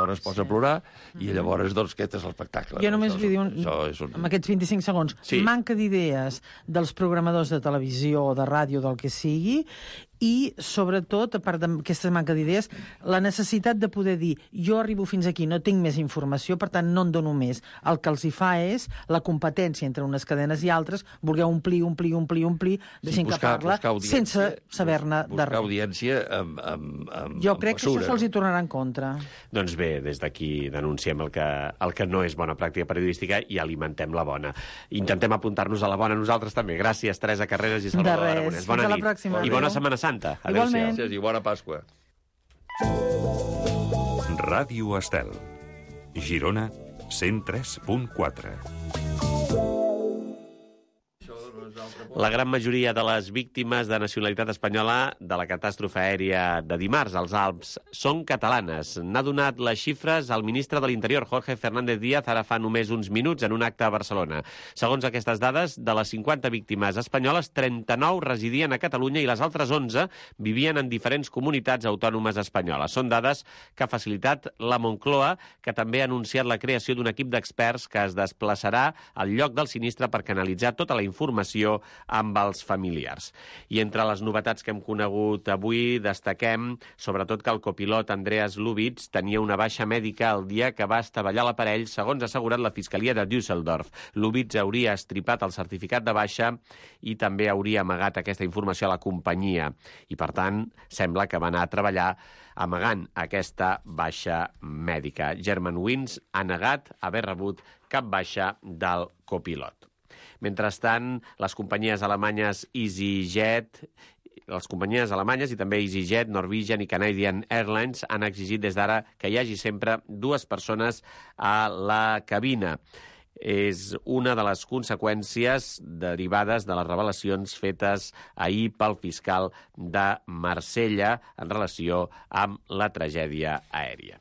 dona es posa a plorar i llavors, doncs, aquest és l'espectacle. Jo només vull dir, amb aquests 25 segons, manca d'idees dels programadors de televisió o de ràdio, del que sigui, i, sobretot, a part d'aquesta manca d'idees, la necessitat de poder dir jo arribo fins aquí, no tinc més informació, per tant, no en dono més. El que els hi fa és la competència entre unes cadenes i altres, voler omplir, deixant que parla, sense saber-ne de res. Buscar audiència amb jo crec que això se'ls hi tornarà en contra. Doncs bé, des d'aquí denunciem el que no és bona pràctica periodística i alimentem la bona. Intentem apuntar-nos a la bona nosaltres també. Gràcies, Teresa Carreras i Salvador Aragonès. Bona nit. I bona Setmana Santa. Igualment. I bona Pasqua. Ràdio Estel. Girona 103.4. La gran majoria de les víctimes de nacionalitat espanyola de la catàstrofe aèria de dimarts als Alps són catalanes. N'ha donat les xifres el ministre de l'Interior, Jorge Fernández Díaz, ara fa només uns minuts en un acte a Barcelona. Segons aquestes dades, de les 50 víctimes espanyoles, 39 residien a Catalunya i les altres 11 vivien en diferents comunitats autònomes espanyoles. Són dades que ha facilitat la Moncloa, que també ha anunciat la creació d'un equip d'experts que es desplaçarà al lloc del sinistre per canalitzar tota la informació amb els familiars. I entre les novetats que hem conegut avui destaquem sobretot que el copilot Andreas Lubitz tenia una baixa mèdica el dia que va estavellar l'aparell, segons ha assegurat la Fiscalia de Düsseldorf. Lubitz hauria estripat el certificat de baixa i també hauria amagat aquesta informació a la companyia. I, per tant, sembla que va anar a treballar amagant aquesta baixa mèdica. Germanwings ha negat haver rebut cap baixa del copilot. Mentrestant, les companyies alemanyes EasyJet, i també EasyJet, Norwegian i Canadian Airlines han exigit des d'ara que hi hagi sempre 2 persones a la cabina. És una de les conseqüències derivades de les revelacions fetes ahir pel fiscal de Marsella en relació amb la tragèdia aèria.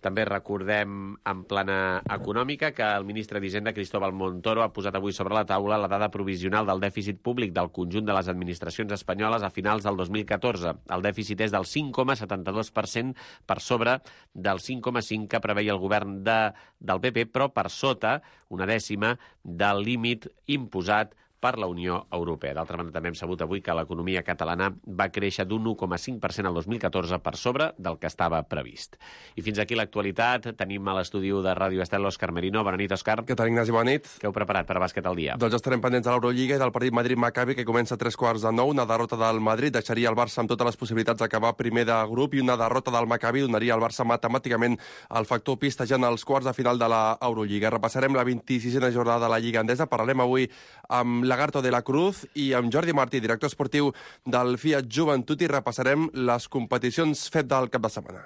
També recordem en plana econòmica que el ministre d'Hisenda, Cristóbal Montoro, ha posat avui sobre la taula la dada provisional del dèficit públic del conjunt de les administracions espanyoles a finals del 2014. El dèficit és del 5,72% per sobre del 5,5% que preveia el govern del PP, però per sota, una dècima, del límit imposat per la Unió Europea. D'altra banda, també hem sabut avui que l'economia catalana va créixer d'un 1,5% al 2014 per sobre del que estava previst. I fins aquí l'actualitat. Tenim a l'estudi de Ràdio Estel l'Òscar Merino. Bona nit, Òscar. Què tal, Ignasi? Bona nit. Què heu preparat per bàsquet al dia? Doncs estarem pendents de l'Eurolliga i del partit Madrid-Maccabi, que comença a 3:45. Una derrota del Madrid deixaria el Barça amb totes les possibilitats d'acabar primer de grup i una derrota del Maccabi donaria al Barça matemàticament el factor pista ja en els quarts de final de l'Eurolliga. Repassarem la 26a jornada de la Lliga Endesa. Parlarem avui amb Lagarto de la Cruz i amb Jordi Martí, director esportiu del Fiat Joventut, i repassarem les competicions FEP del cap de setmana.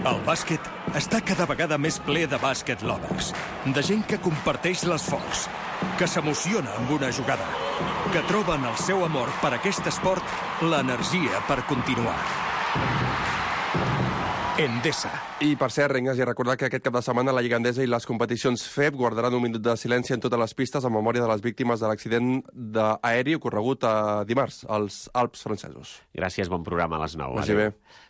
El bàsquet està cada vegada més ple de bàsquet lovers, de gent que comparteix l'esforç, que s'emociona amb una jugada, que troba en el seu amor per aquest esport l'energia per continuar. Endesa. I, per cert, Ignasi, recordar que aquest cap de setmana la Lliga Endesa i les competicions FEP guardaran un minut de silenci en totes les pistes en memòria de les víctimes de l'accident aeri ocorregut dimarts als Alps francesos. Gràcies, bon programa a les 9. Vagi bé.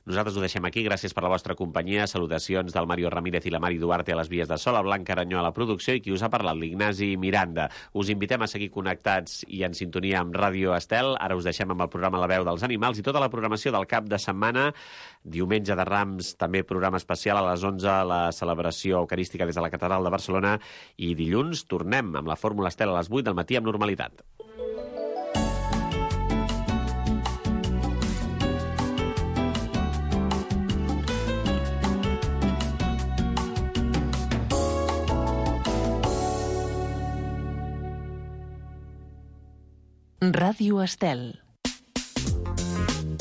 Nosaltres ho deixem aquí. Gràcies per la vostra companyia. Salutacions del Mario Ramírez i la Mari Duarte a les vies de so, la Blanca Aranyó a la producció i qui us ha parlat, l'Ignasi Miranda. Us invitem a seguir connectats i en sintonia amb Ràdio Estel. Ara us deixem amb el programa La veu dels animals i tota la programació del cap de setmana. Diumenge de Rams, també programa especial a les 11, la celebració eucarística des de la Catedral de Barcelona, i dilluns tornem amb la Fórmula Estel a les 8 del matí amb normalitat. Ràdio Estel.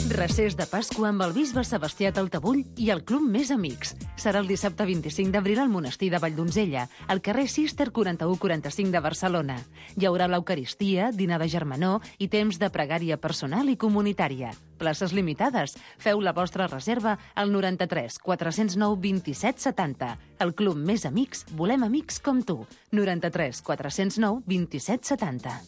Recés de Pasqua amb el bisbe Sebastià Taltabull i el Club Més Amics. Serà el dissabte 25 d'abril al monestir de Valldonzella, al carrer Cister 4145 de Barcelona. Hi haurà l'Eucaristia, dinar de germanor i temps de pregària personal i comunitària. Places limitades. Feu la vostra reserva al 93 409 27 70. El Club Més Amics, volem amics com tu. 93 409 27 70.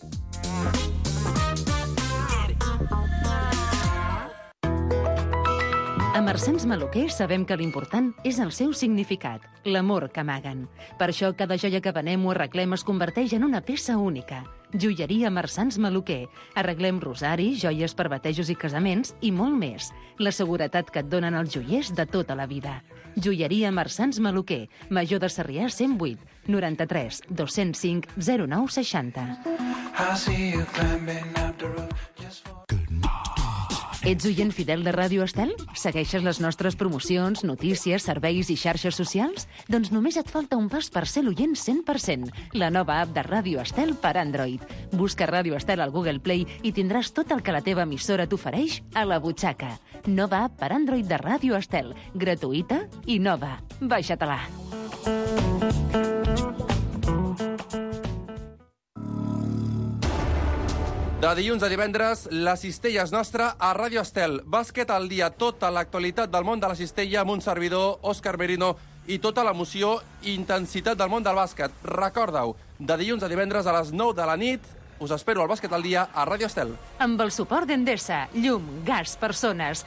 A Marsans Maluquer sabem que l'important és el seu significat, l'amor que amaguen. Per això cada joia que venem o arreglem es converteix en una peça única. Joieria Marsans Maluquer. Arreglem rosaris, joies per batejos i casaments i molt més. La seguretat que et donen els joiers de tota la vida. Joieria Marsans Maluquer. Major de Sarrià 108 93 205 09 60. Ets oient fidel de Ràdio Estel? Segueixes les nostres promocions, notícies, serveis i xarxes socials? Doncs només et falta un pas per ser l'oient 100%. La nova app de Ràdio Estel per Android. Busca Ràdio Estel al Google Play i tindràs tot el que la teva emissora t'ofereix a la butxaca. Nova app per Android de Ràdio Estel. Gratuïta i nova. Baixa-te-la. De dilluns a divendres, la cistella és nostra a Ràdio Estel. Bàsquet al dia, tota l'actualitat del món de la cistella amb un servidor, Òscar Merino, i tota l'emoció i intensitat del món del bàsquet. Recorda-ho, de dilluns a divendres a les 9 de la nit, us espero al Bàsquet al dia a Ràdio Estel. Amb el suport d'Endesa, llum, gas, persones.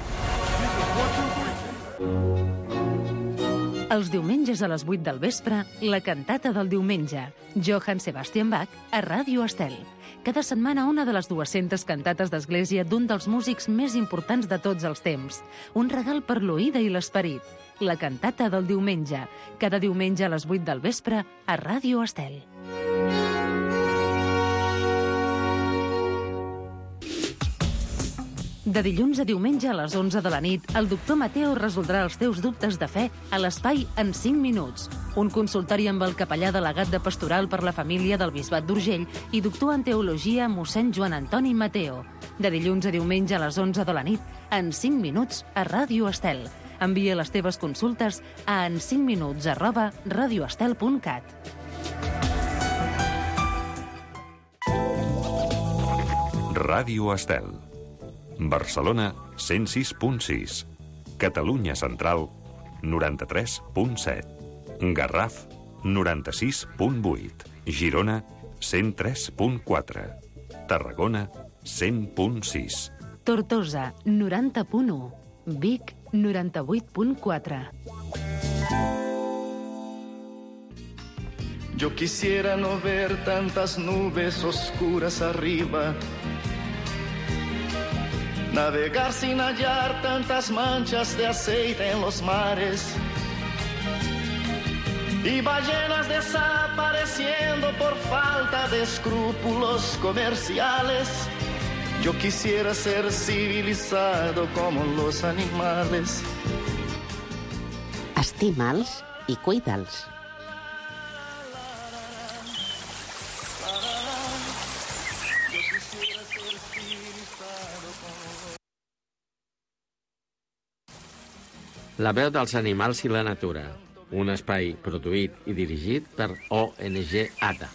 Els diumenges a les 8 del vespre, la cantata del diumenge. Johann Sebastian Bach a Ràdio Estel. Cada setmana una de les 200 cantates d'església d'un dels músics més importants de tots els temps. Un regal per l'oïda i l'esperit. La cantata del diumenge. Cada diumenge a les 8 del vespre a Ràdio Estel. De dilluns a diumenge a les 11 de la nit, el doctor Mateo resoldrà els teus dubtes de fe a l'espai En 5 minuts. Un consultori amb el capellà delegat de Pastoral per la Família del Bisbat d'Urgell i doctor en teologia mossèn Joan Antoni Mateo. De dilluns a diumenge a les 11 de la nit, En 5 minuts a Ràdio Estel. Envia les teves consultes a en5minuts@radioestel.cat. Ràdio Estel. Barcelona 106.6. Catalunya Central 93.7. Garraf 96.8. Girona 103.4. Tarragona 100.6. Tortosa 90.1. Vic 98.4. Yo quisiera no ver tantas nubes oscuras arriba, navegar sin hallar tantas manchas de aceite en los mares y ballenas desapareciendo por falta de escrúpulos comerciales. Yo quisiera ser civilizado como los animales. Estima'ls i cuida'ls. La veu dels animals i la natura. Un espai produït i dirigit per ONG ATA.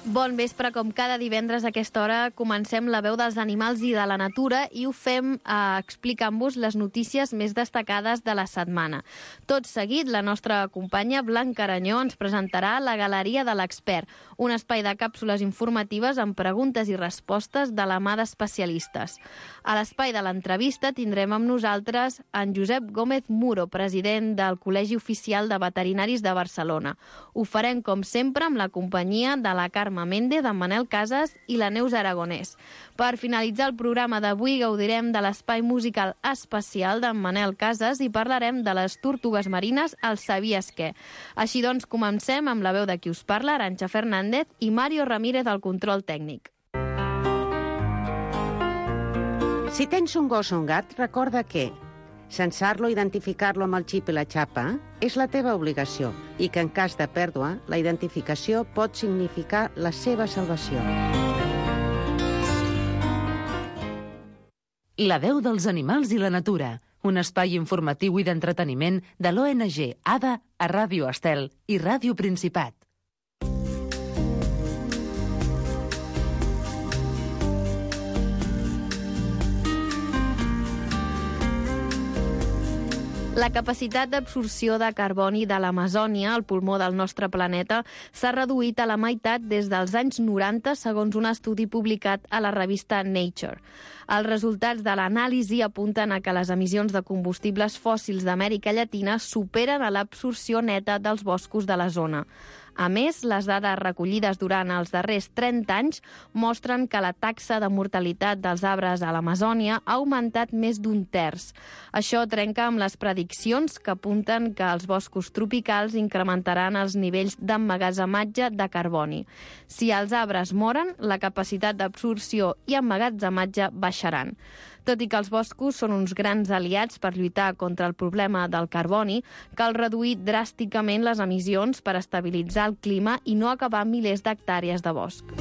Bon vespre, com cada divendres a aquesta hora comencem la veu dels animals i de la natura i ho fem explicant-vos les notícies més destacades de la setmana. Tot seguit, la nostra companya Blanca Aranyó ens presentarà la Galeria de l'Expert, un espai de càpsules informatives amb preguntes i respostes de la mà d'especialistes. A l'espai de l'entrevista tindrem amb nosaltres en Josep Gómez Muro, president del Col·legi Oficial de Veterinaris de Barcelona. Ho farem, com sempre, amb la companyia de la Carme Méndez, d'en Manel Casas i la Neus Aragonès. Per finalitzar el programa d'avui gaudirem de l'espai musical especial d'en Manel Casas i parlarem de les tortugues marines al Sabies què. Així doncs, comencem amb la veu de qui us parla, Arantxa Fernández, i Mario Ramírez al control tècnic. Si tens un gos o un gat, recorda que censar-lo, identificar-lo amb el xip i la xapa és la teva obligació i que en cas de pèrdua, la identificació pot significar la seva salvació. La veu dels animals i la natura, un espai informatiu i d'entreteniment de l'ONG ADA a Ràdio Estel i Ràdio Principat. La capacitat d'absorció de carboni de l'Amazònia, el pulmó del nostre planeta, s'ha reduït a la meitat des dels anys 90, segons un estudi publicat a la revista Nature. Els resultats de l'anàlisi apunten a que les emissions de combustibles fòssils d'Amèrica Llatina superen a l'absorció neta dels boscos de la zona. A més, les dades recollides durant els darrers 30 anys mostren que la taxa de mortalitat dels arbres a l'Amazònia ha augmentat més d'un terç. Això trenca amb les prediccions que apunten que els boscos tropicals incrementaran els nivells d'emmagatzematge de carboni. Si els arbres moren, la capacitat d'absorció i emmagatzematge baixaran. Tot i que els boscos són uns grans aliats per lluitar contra el problema del carboni, cal reduir dràsticament les emissions per estabilitzar el clima i no acabar milers d'hectàrees de bosc.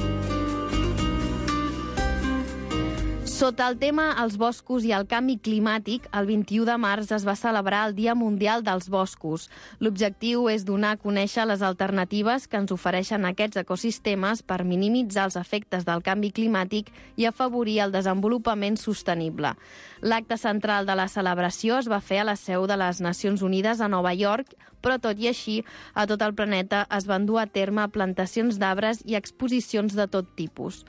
Sota el tema Els boscos i el canvi climàtic, el 21 de març es va celebrar el Dia Mundial dels Boscos. L'objectiu és donar a conèixer les alternatives que ens ofereixen aquests ecosistemes per minimitzar els efectes del canvi climàtic i afavorir el desenvolupament sostenible. L'acte central de la celebració es va fer a la seu de les Nacions Unides a Nova York, però tot i així, a tot el planeta es van dur a terme plantacions d'arbres i exposicions de tot tipus.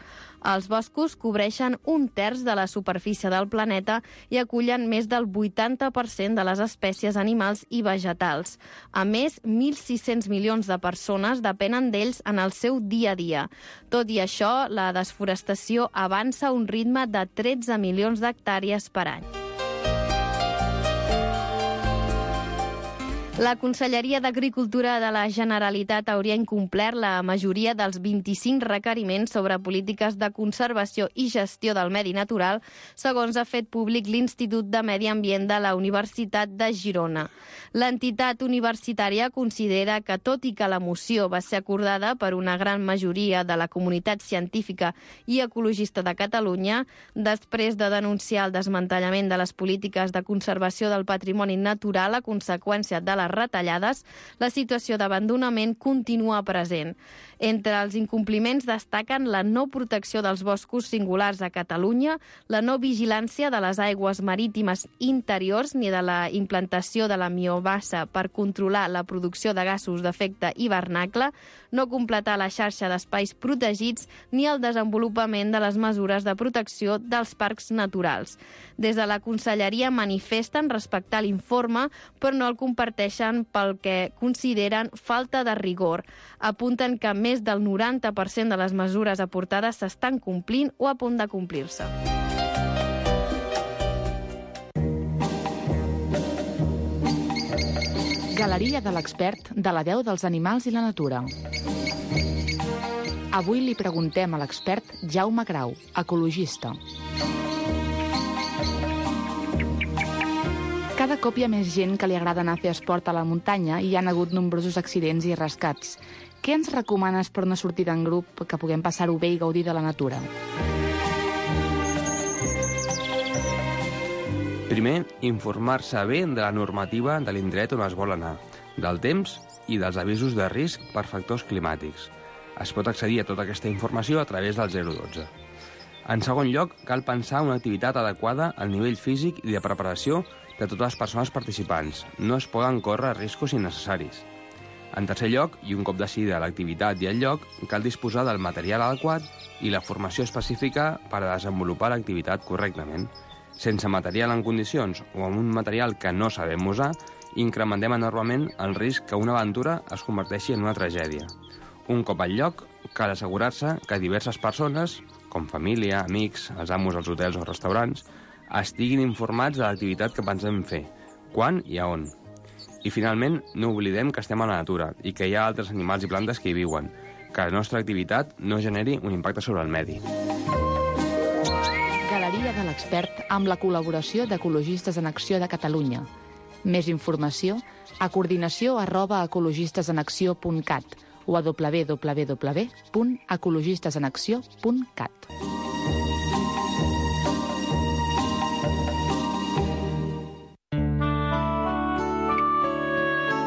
Els boscos cobreixen un terç de la superfície del planeta i acullen més del 80% de les espècies animals i vegetals. A més, 1.600 milions de persones depenen d'ells en el seu dia a dia. Tot i això, la desforestació avança a un ritme de 13 milions d'hectàrees per any. La Conselleria d'Agricultura de la Generalitat hauria incomplert la majoria dels 25 requeriments sobre polítiques de conservació i gestió del medi natural, segons ha fet públic l'Institut de Medi Ambient de la Universitat de Girona. L'entitat universitària considera que, tot i que la moció va ser acordada per una gran majoria de la comunitat científica i ecologista de Catalunya, després de denunciar el desmantellament de les polítiques de conservació del patrimoni natural a conseqüència de les retallades, la situació d'abandonament continua present. Entre els incompliments destaquen la no protecció dels boscos singulars a Catalunya, la no vigilància de les aigües marítimes interiors ni de la implantació de la biomassa per controlar la producció de gasos d'efecte hivernacle, no completar la xarxa d'espais protegits ni el desenvolupament de les mesures de protecció dels parcs naturals. Des de la Conselleria manifesten respectar l'informe, però no el comparteixen pel que consideren falta de rigor. Apunten que més del 90% de les mesures aportades s'estan complint o a punt de complir-se. Galeria de l'expert de la veu dels animals i la natura. Avui li preguntem a l'expert Jaume Grau, ecologista. Cada cop hi ha més gent que li agrada anar a fer esport a la muntanya i hi ha hagut nombrosos accidents i rescats. Què ens recomanes per una sortida en grup que puguem passar-ho bé i gaudir de la natura? Primer, informar-se bé de la normativa de l'indret on es vol anar, del temps i dels avisos de risc per factors climàtics. Es pot accedir a tota aquesta informació a través del 012. En segon lloc, cal pensar una activitat adequada al nivell físic i de preparació de totes les persones participants. No es poden córrer riscos innecessaris. En tercer lloc, i un cop decidida l'activitat i el lloc, cal disposar del material adequat i la formació específica per a desenvolupar l'activitat correctament. Sense material en condicions o amb un material que no sabem usar, incrementem enormement el risc que una aventura es converteixi en una tragèdia. Un cop al lloc, cal assegurar-se que diverses persones, com família, amics, els amos als hotels o restaurants, estiguin informats de l'activitat que pensem fer, quan i a on. I finalment, no oblidem que estem a la natura i que hi ha altres animals i plantes que hi viuen, que la nostra activitat no generi un impacte sobre el medi. Galeria de l'expert amb la col·laboració d'Ecologistes en Acció de Catalunya. Més informació a coordinació@ecologistesenacció.cat o a www.ecologistesenacció.cat.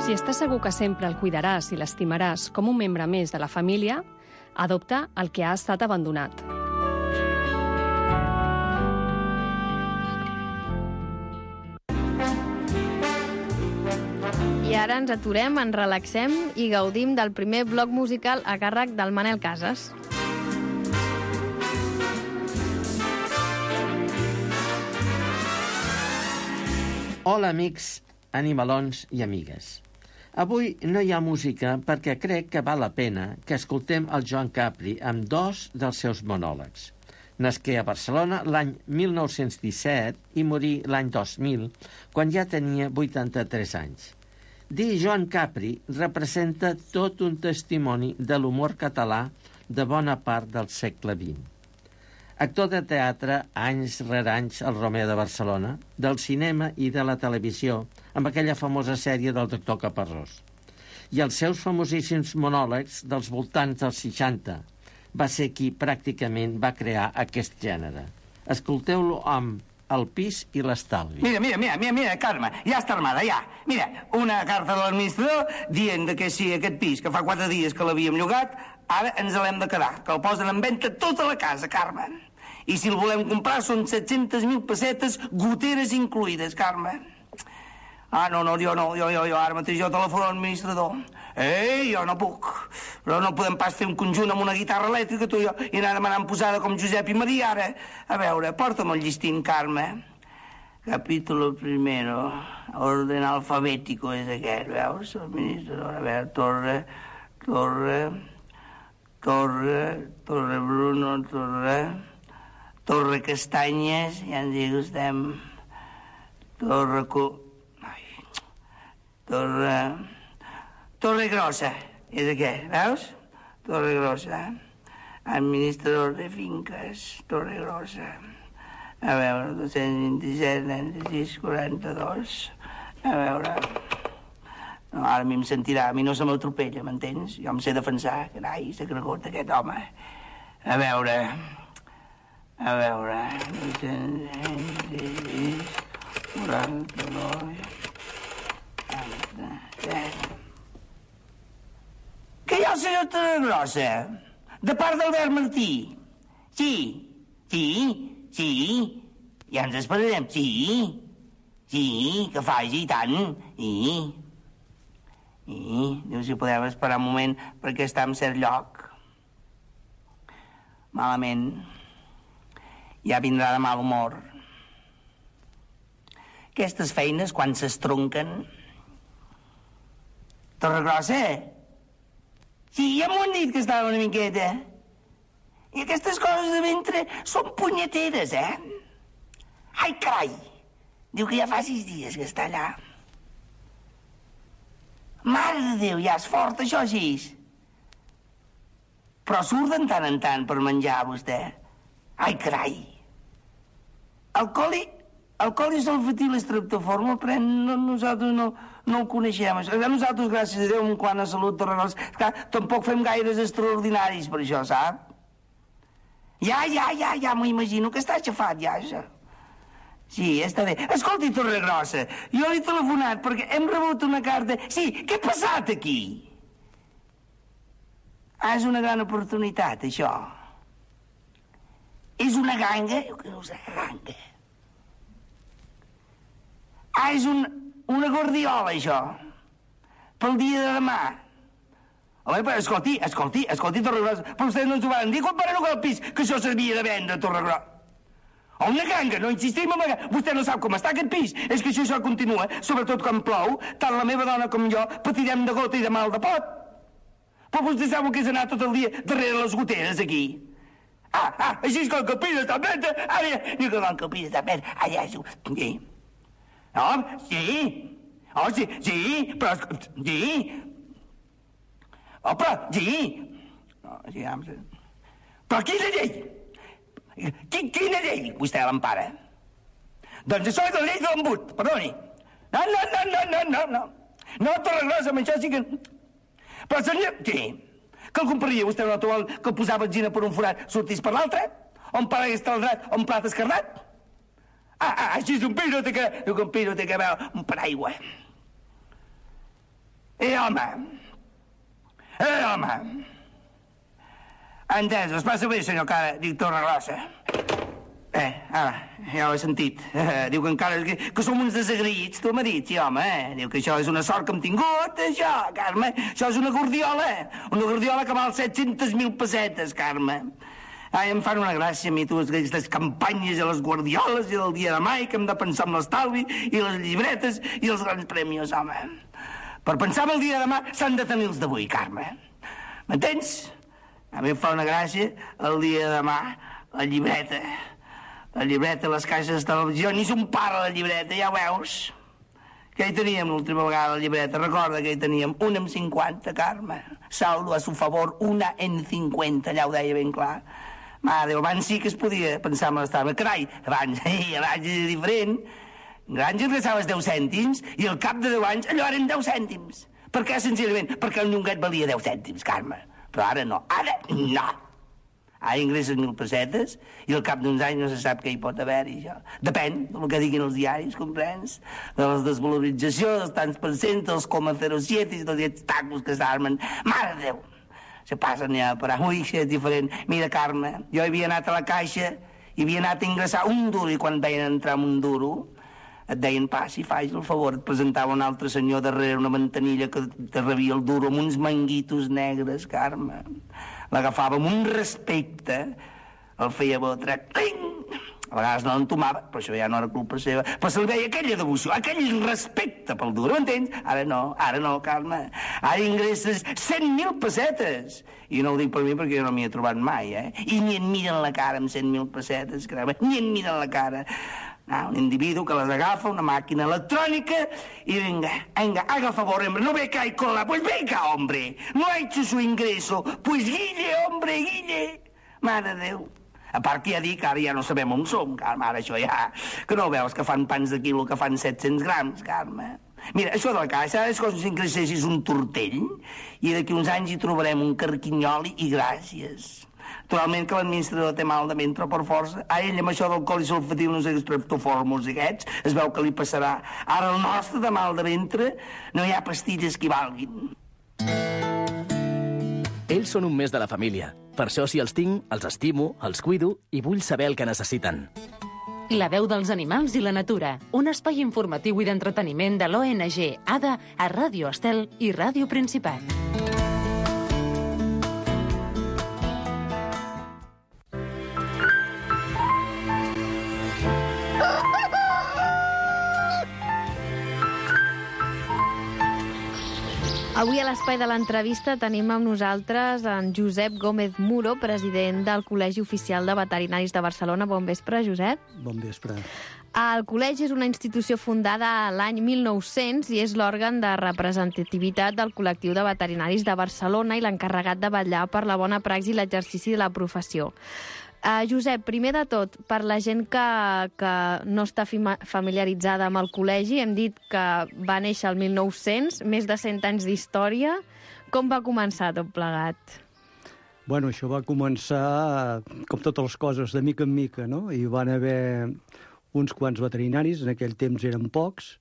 Si estàs segur que sempre el cuidaràs i l'estimaràs com un membre més de la família, adopta el que ha estat abandonat. I ara ens aturem, ens relaxem i gaudim del primer bloc musical a càrrec del Manel Casas. Hola, amics, animalons i amigues. Avui no hi ha música perquè crec que val la pena que escoltem el Joan Capri amb 2 dels seus monòlegs. Nasqué a Barcelona l'any 1917 i morí l'any 2000, quan ja tenia 83 anys. Dir Joan Capri representa tot un testimoni de l'humor català de bona part del segle XX. Actor de teatre, anys rere anys al Romea de Barcelona, del cinema i de la televisió, amb aquella famosa sèrie del doctor Caparrós. I els seus famosíssims monòlegs dels voltants dels 60. Va ser qui pràcticament va crear aquest gènere. Escolteu-lo amb El pis i l'estalvi. Mira, Carme, ja està armada, ja. Mira, una carta de l'administrador dient que si aquest pis, que fa 4 dies que l'havíem llogat, ara ens l'hem de quedar, que el posen en venda tota la casa, Carme. I si el volem comprar són 700.000 pessetes, goteres incluïdes, Carme. Jo ara mateix jo telefono a l'administrador. Jo no puc. Però no podem pas fer un conjunt amb una guitarra elèctrica, tu i jo, i anar demanant posada com Josep i Maria, ara. A veure, porta'm el llistín, Carme. Capítulo primero, orden alfabético és aquest, veus? Administrador, a veure, Torre Bruno, Torre Castanyes, ja ens hi gustem. Torre Grossa, és aquest, veus? Torre Grossa. Administrador de finques, Torre Grossa. A veure, 227, 96, 42. A veure... No, ara a mi em sentirà, a mi no se m'atropella, m'entens? Jo em sé defensar, carai, s'ha cregut aquest home. A veure... 226, 42... Que hi ha el senyor Torregrossa, de part d'Albert Martí. Sí, ja ens esperarem, sí, que faci i tant, diu si podem esperar un moment perquè està en cert lloc. Malament, ja vindrà de mal humor. Aquestes feines, quan s'estronquen... Torregrossa? Sí, ja m'ho han dit que estava una miqueta. I aquestes coses de ventre són punyeteres, Ai, carai! Diu que ja fa 6 dies que està allà. Mare de Déu, ja és fort, això, així. Però surt de tant en tant per menjar, vostè. Ai, carai! El coli sulfatil estreptoform el pren, nosaltres no el coneixem. Nosaltres, gràcies a Déu, en quant a salut, Torregrossa, tampoc fem gaires extraordinaris per això, sap? Ja, m'ho imagino que està aixafat, ja, això. Sí, està bé. Escolti, Torregrossa, jo li he telefonat perquè hem rebut una carta... Sí, què ha passat aquí? És una gran oportunitat, això. És una ganga? Que no és una ganga. És una guardiola, això. Pel dia de demà. Home, però escolti, Torregrossa, però vostès no ens ho van dir quan van llogar el pis que això s'havia de vendre, Torregrossa. O una ganga, no insistim en la ganga. Vostè no sap com està aquest pis. És que això continua, sobretot quan plou, tant la meva dona com jo patirem de gota i de mal de pot. Però vostè sap el que és anar tot el dia darrere les goteres, aquí. Així és com que el pis està venda. Ara, diu que el pis està venda. Allà és... Sí. No, sí. Oh, sí, però... Sí. Oh, però... Sí. No, sí, però quina llei? Quina llei vostè l'empara? Doncs això és la llei de l'embut, perdoni. No. No, Torregrossa, amb això sí que... Però senyor... Sí. Que el compraria vostè un automòbil que el posava benzina per un forat, sortís per l'altre? On paragués estaldrat, on plat escarnat? Així és un pis, no té que... Un pis no té que veure un paraigua. Home. Entès, es passa bé, senyor cara, dic Torregrossa. Ja ho he sentit. Diu que encara... Que som uns desagraïts, tu m'ha dit, sí, home. Diu que això és una sort que hem tingut, això, Carme. Això és una guardiola. Una guardiola que val 700.000 pessetes, Carme. Ai, em fan una gràcia a mi, tu, aquestes campanyes i les guardioles i del dia de mai, que hem de pensar en l'estalvi i les llibretes i els grans premis, home. Per pensar en el dia de demà s'han de tenir els d'avui, Carme. M'entens? A mi em fa una gràcia el dia de demà, la llibreta. La llibreta, les caixes de televisió, ni son para la llibreta, ja ho veus. Què hi teníem l'última vegada, la llibreta? Recorda que hi teníem una en 50, Carme. Saldo a su favor, una en 50, allà ho deia ben clar. Mare, abans sí que es podia pensar en l'estalvi. Carai, abans era diferent. Abans ingresaves 10 cèntims i al cap de 10 anys allò eren 10 cèntims. Per què, senzillament? Perquè el llonguet valia 10 cèntims, Carme. Però ara no, ara no. Ara ingresses 1.000 pessetes i al cap d'uns anys no se sap què hi pot haver-hi, això. Depèn del que diguin els diaris, comprens? De la desvalorització, dels tants per cent, dels 0,07 i tots aquests tacos que s'armen. Mare de Déu! Se passen ja per avui, que és diferent. Mira, Carme, jo havia anat a la caixa i havia anat a ingressar un duro i quan veien entrar amb un duro et deien, passi, faci el favor, et presentava un altre senyor darrere una ventanilla que te rebia el duro amb uns manguitos negres, Carme. L'agafava amb un respecte, el feia botre, cling! A vegades no l'entomava, però això ja no era culpa seva, però se li veia aquella devoció, aquell respecte pel duro, m'entens? Ara no, Carme. Ara ingresses 100.000 pessetes. I no ho dic per mi perquè jo no m'hi he trobat mai, I ni en miren la cara amb 100.000 pessetes, Carme, ni en miren la cara. Un individu que les agafa, una màquina electrònica, i venga, haga el favor, hombre, no ve que hay cola, pues venga, hombre, no ha hecho su ingreso, pues guille, hombre, guille. Mare de Déu. A part que ja dic, ara ja no sabem on som, Carme, ara això ja... Que no veus que fan pans de quilo que fan 700 grams, Carme? Mira, això de la caixa és com si ingressessis un tortell i d'aquí uns anys hi trobarem un carquinyoli i gràcies. Naturalment que l'administrador té mal de ventre per força. A ell amb això del colisulfatil no sé què estreptofórmuls aquests es veu que li passarà. Ara el nostre de mal de ventre no hi ha pastilles que hi valguin. Ells són un mes de la família. Per això, si els tinc, els estimo, els cuido i vull saber el que necessiten. La veu dels animals i la natura. Un espai informatiu i d'entreteniment de l'ONG ADA a Ràdio Estel i Ràdio Principat. Avui a l'espai de l'entrevista tenim amb nosaltres en Josep Gómez Muro, president del Col·legi Oficial de Veterinaris de Barcelona. Bon vespre, Josep. Bon vespre. El col·legi és una institució fundada l'any 1900 i és l'òrgan de representativitat del col·lectiu de veterinaris de Barcelona i l'encarregat de vetllar per la bona praxi i l'exercici de la professió. Josep, primer de tot, per la gent que no està familiaritzada amb el col·legi, hem dit que va néixer el 1900, més de 100 anys d'història. Com va començar tot plegat? Bueno, això va començar, com totes les coses, de mica en mica, no? Hi van haver uns quants veterinaris, en aquell temps eren pocs,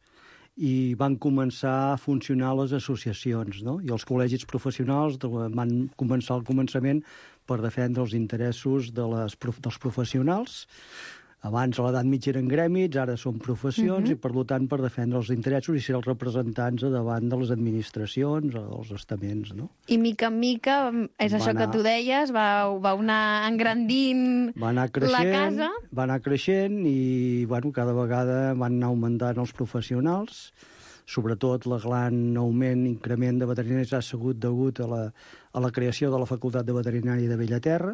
i van començar a funcionar les associacions, no? I els col·legis professionals van començar al començament per defendre els interessos dels professionals. Abans a l'edat mitja eren grèmits, ara són professions, i per tant per defendre els interessos i ser els representants davant de les administracions o dels estaments, no? I mica en mica, és això que tu deies, va anar engrandint la casa? Va anar creixent i, bueno, cada vegada van anar augmentant els professionals. Sobretot el gran increment de veterinaris ha sigut degut a la creació de la Facultat de Veterinària de Bellaterra,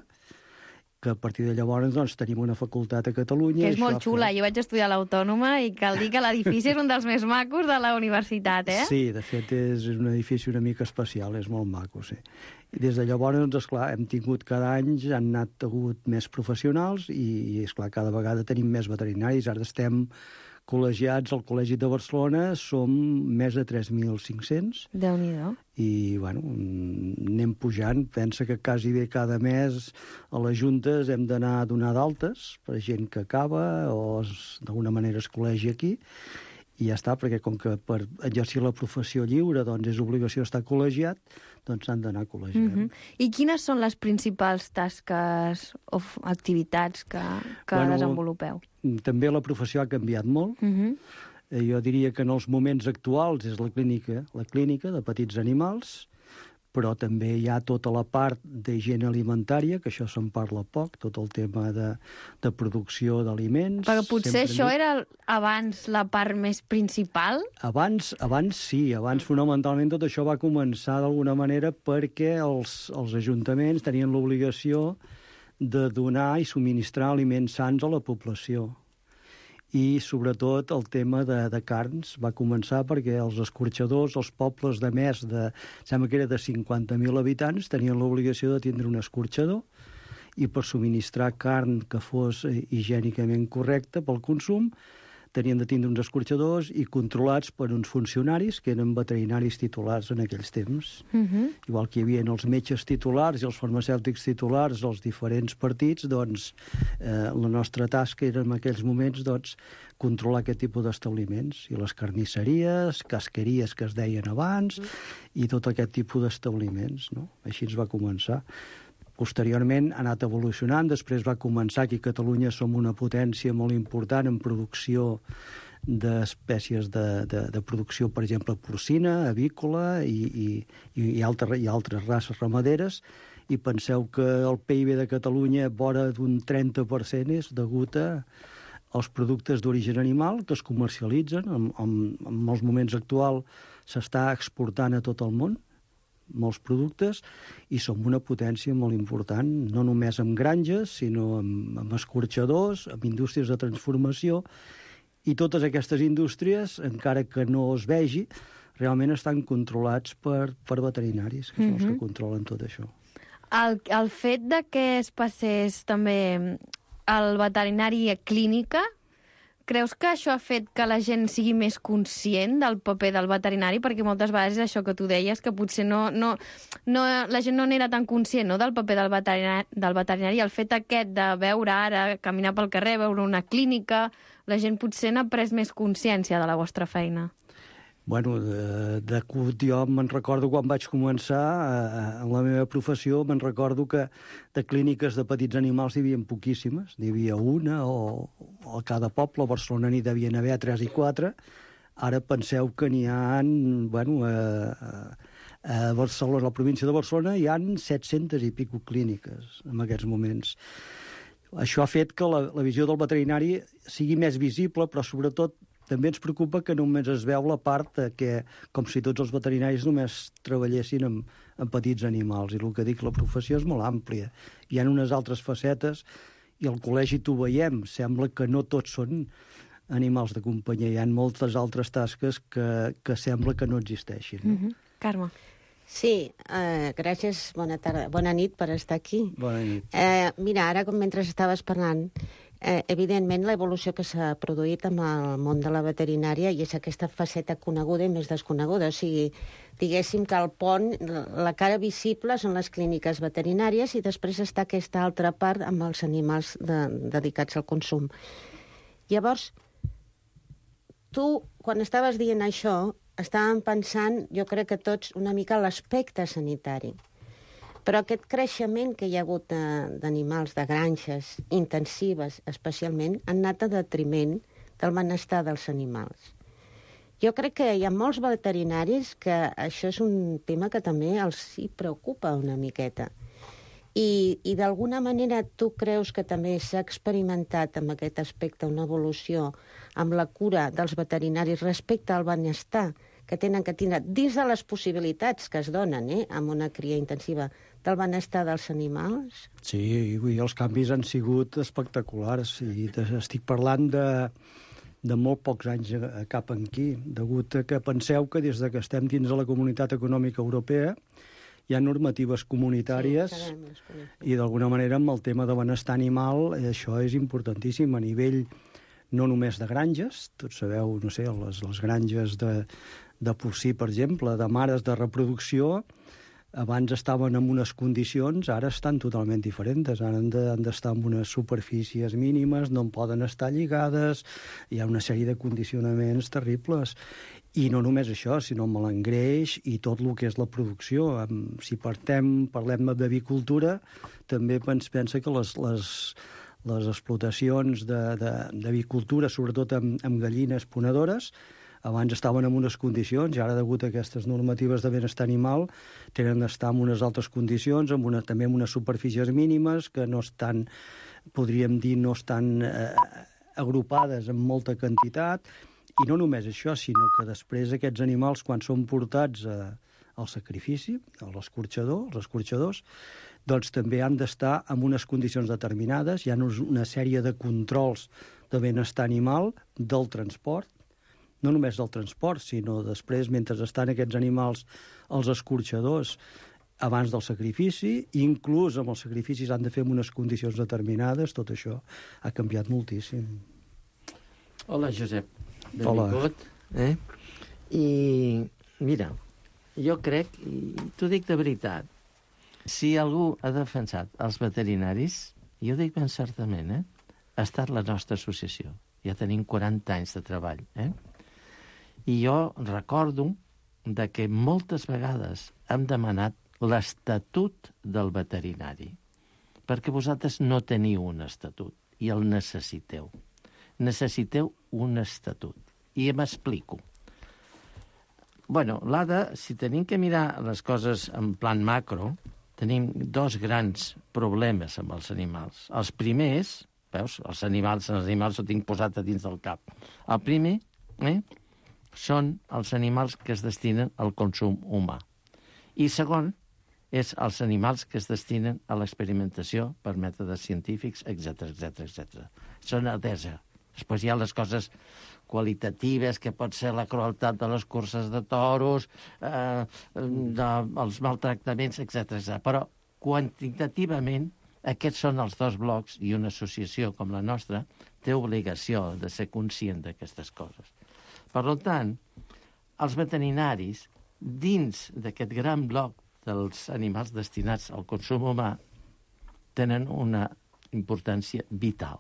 que a partir de llavors doncs, tenim una facultat a Catalunya. Que és molt xula. Jo vaig estudiar a l'Autònoma i cal dir que l'edifici és un dels més macos de la universitat, Sí, de fet és un edifici una mica especial, és molt maco, sí. I des de llavors, doncs, esclar, hem tingut cada any, han hagut més professionals i, esclar, cada vegada tenim més veterinaris. Ara estem col·legiats al Col·legi de Barcelona, som més de 3.500. Déu-n'hi-do. I, bueno, anem pujant. Pensa que quasi bé cada mes a les juntes hem d'anar a donar d'altes per gent que acaba o d'alguna manera es col·legi aquí. I ja està, perquè com que per exercir la professió lliure doncs és obligació estar col·legiat, doncs s'han d'anar col·legiant. I quines són les principals tasques o activitats que desenvolupeu? També la professió ha canviat molt. Jo diria que en els moments actuals és la clínica de petits animals, però també hi ha tota la part d'higiene alimentària, que això se'n parla poc, tot el tema de producció d'aliments. Perquè potser això era abans la part més principal? Abans sí, abans fonamentalment tot això va començar d'alguna manera perquè els ajuntaments tenien l'obligació de donar i subministrar aliments sants a la població. I, sobretot, el tema de carns va començar perquè els escorxadors, els pobles de més de, sembla que era de 50.000 habitants, tenien l'obligació de tindre un escorxador i per subministrar carn que fos higiènicament correcta pel consum, tenien de tindre uns escorxadors i controlats per uns funcionaris que eren veterinaris titulars en aquells temps. Igual que hi havia els metges titulars i els farmacèutics titulars dels diferents partits, doncs la nostra tasca era en aquells moments controlar aquest tipus d'establiments. I les carnisseries, casqueries que es deien abans, i tot aquest tipus d'establiments. No? Així ens va començar. Posteriorment ha anat evolucionant, després va començar que a Catalunya som una potència molt important en producció d'espècies de producció, per exemple, porcina, avícola i altres races ramaderes, i penseu que el PIB de Catalunya vora d'un 30% és degut als productes d'origen animal que es comercialitzen. En molts moments actuals s'està exportant a tot el món, molts productes, i som una potència molt important, no només amb granges, sinó amb escorxadors, amb indústries de transformació, i totes aquestes indústries, encara que no es vegi, realment estan controlats per veterinaris, que són els que controlen tot això. El fet de que es passés també el veterinari a clínica, creus que això ha fet que la gent sigui més conscient del paper del veterinari? Perquè moltes vegades és això que tu deies, que potser la gent no n'era tan conscient, no?, del paper del veterinari. El fet aquest de veure ara, caminar pel carrer, veure una clínica, la gent potser n'ha pres més consciència de la vostra feina. Bueno, jo me'n recordo quan vaig començar en la meva professió, me'n recordo que de clíniques de petits animals hi havia poquíssimes, n'hi havia una o a cada poble, a Barcelona n'hi devien haver 3 i 4, ara penseu que n'hi ha, a Barcelona, a la província de Barcelona, hi ha 700 i pico clíniques en aquests moments. Això ha fet que la visió del veterinari sigui més visible, però sobretot també ens preocupa que només es veu la part que, com si tots els veterinaris només treballessin amb petits animals. I el que dic, la professió és molt àmplia. Hi ha unes altres facetes, i al col·legi t'ho veiem. Sembla que no tots són animals de companyia. Hi ha moltes altres tasques que sembla que no existeixin. Carme. Sí, gràcies, bona tarda. Bona nit per estar aquí. Bona nit. Mira, ara, mentre estaves parlant, evidentment, l'evolució que s'ha produït amb el món de la veterinària i és aquesta faceta coneguda i més desconeguda. O sigui, diguéssim que el pont, la cara visible són les clíniques veterinàries i després està aquesta altra part amb els animals dedicats al consum. Llavors, tu, quan estaves dient això, estàvem pensant, jo crec que tots, una mica l'aspecte sanitari. Però aquest creixement que hi ha hagut d'animals, de granges intensives especialment, han anat a detriment del benestar dels animals. Jo crec que hi ha molts veterinaris que això és un tema que també els hi preocupa una miqueta. I d'alguna manera tu creus que també s'ha experimentat amb aquest aspecte una evolució amb la cura dels veterinaris respecte al benestar que tenen que tindre dins de les possibilitats que es donen amb una cria intensiva del benestar dels animals? Sí, els canvis han sigut espectaculars i estic parlant de molt pocs anys cap aquí, degut a que penseu que des que estem dins de la Comunitat Econòmica Europea hi ha normatives comunitàries i d'alguna manera amb el tema de benestar animal això és importantíssim a nivell no només de granges, tots sabeu, no sé, les granges de porcí, per exemple, de mares de reproducció, abans estaven en unes condicions, ara estan totalment diferents. Ara han d'estar en unes superfícies mínimes, no en poden estar lligades, hi ha una sèrie de condicionaments terribles. I no només això, sinó amb l'engreix i tot el que és la producció. Si parlem d'avicultura, també pensa que les explotacions d'avicultura, sobretot amb gallines ponedores, Abans estaven en unes condicions i ara, degut a aquestes normatives de benestar animal, tenen d'estar en unes altres condicions, també en unes superfícies mínimes que no estan, podríem dir, no estan agrupades en molta quantitat. I no només això, sinó que després aquests animals, quan són portats al sacrifici, a l'escorxador, els escorxadors, doncs també han d'estar en unes condicions determinades. Hi ha una sèrie de controls de benestar animal del transport, no només del transport, sinó després, mentre estan aquests animals als escorxadors, abans del sacrifici, inclús amb els sacrificis han de fer en unes condicions determinades. Tot això ha canviat moltíssim. Hola, Josep. Benvingut. I mira, jo crec, i t'ho dic de veritat, si algú ha defensat els veterinaris, jo dic ben certament, ha estat la nostra associació. Ja tenim 40 anys de treball. I jo recordo que moltes vegades hem demanat l'estatut del veterinari, perquè vosaltres no teniu un estatut i el necessiteu. Necessiteu un estatut. I m'explico. Bueno, l'ADA, si tenim que mirar les coses en plan macro, tenim dos grans problemes amb els animals. Els primers, veus, els animals ho tinc posat a dins del cap. El primer són els animals que es destinen al consum humà. I segon, és els animals que es destinen a l'experimentació per mètodes científics, etc. Són adesa. Després hi ha les coses qualitatives, que pot ser la crueltat de les curses de toros, els maltractaments, etc. Però quantitativament aquests són els dos blocs i una associació com la nostra té obligació de ser conscient d'aquestes coses. Per tant, els veterinaris, dins d'aquest gran bloc dels animals destinats al consum humà, tenen una importància vital.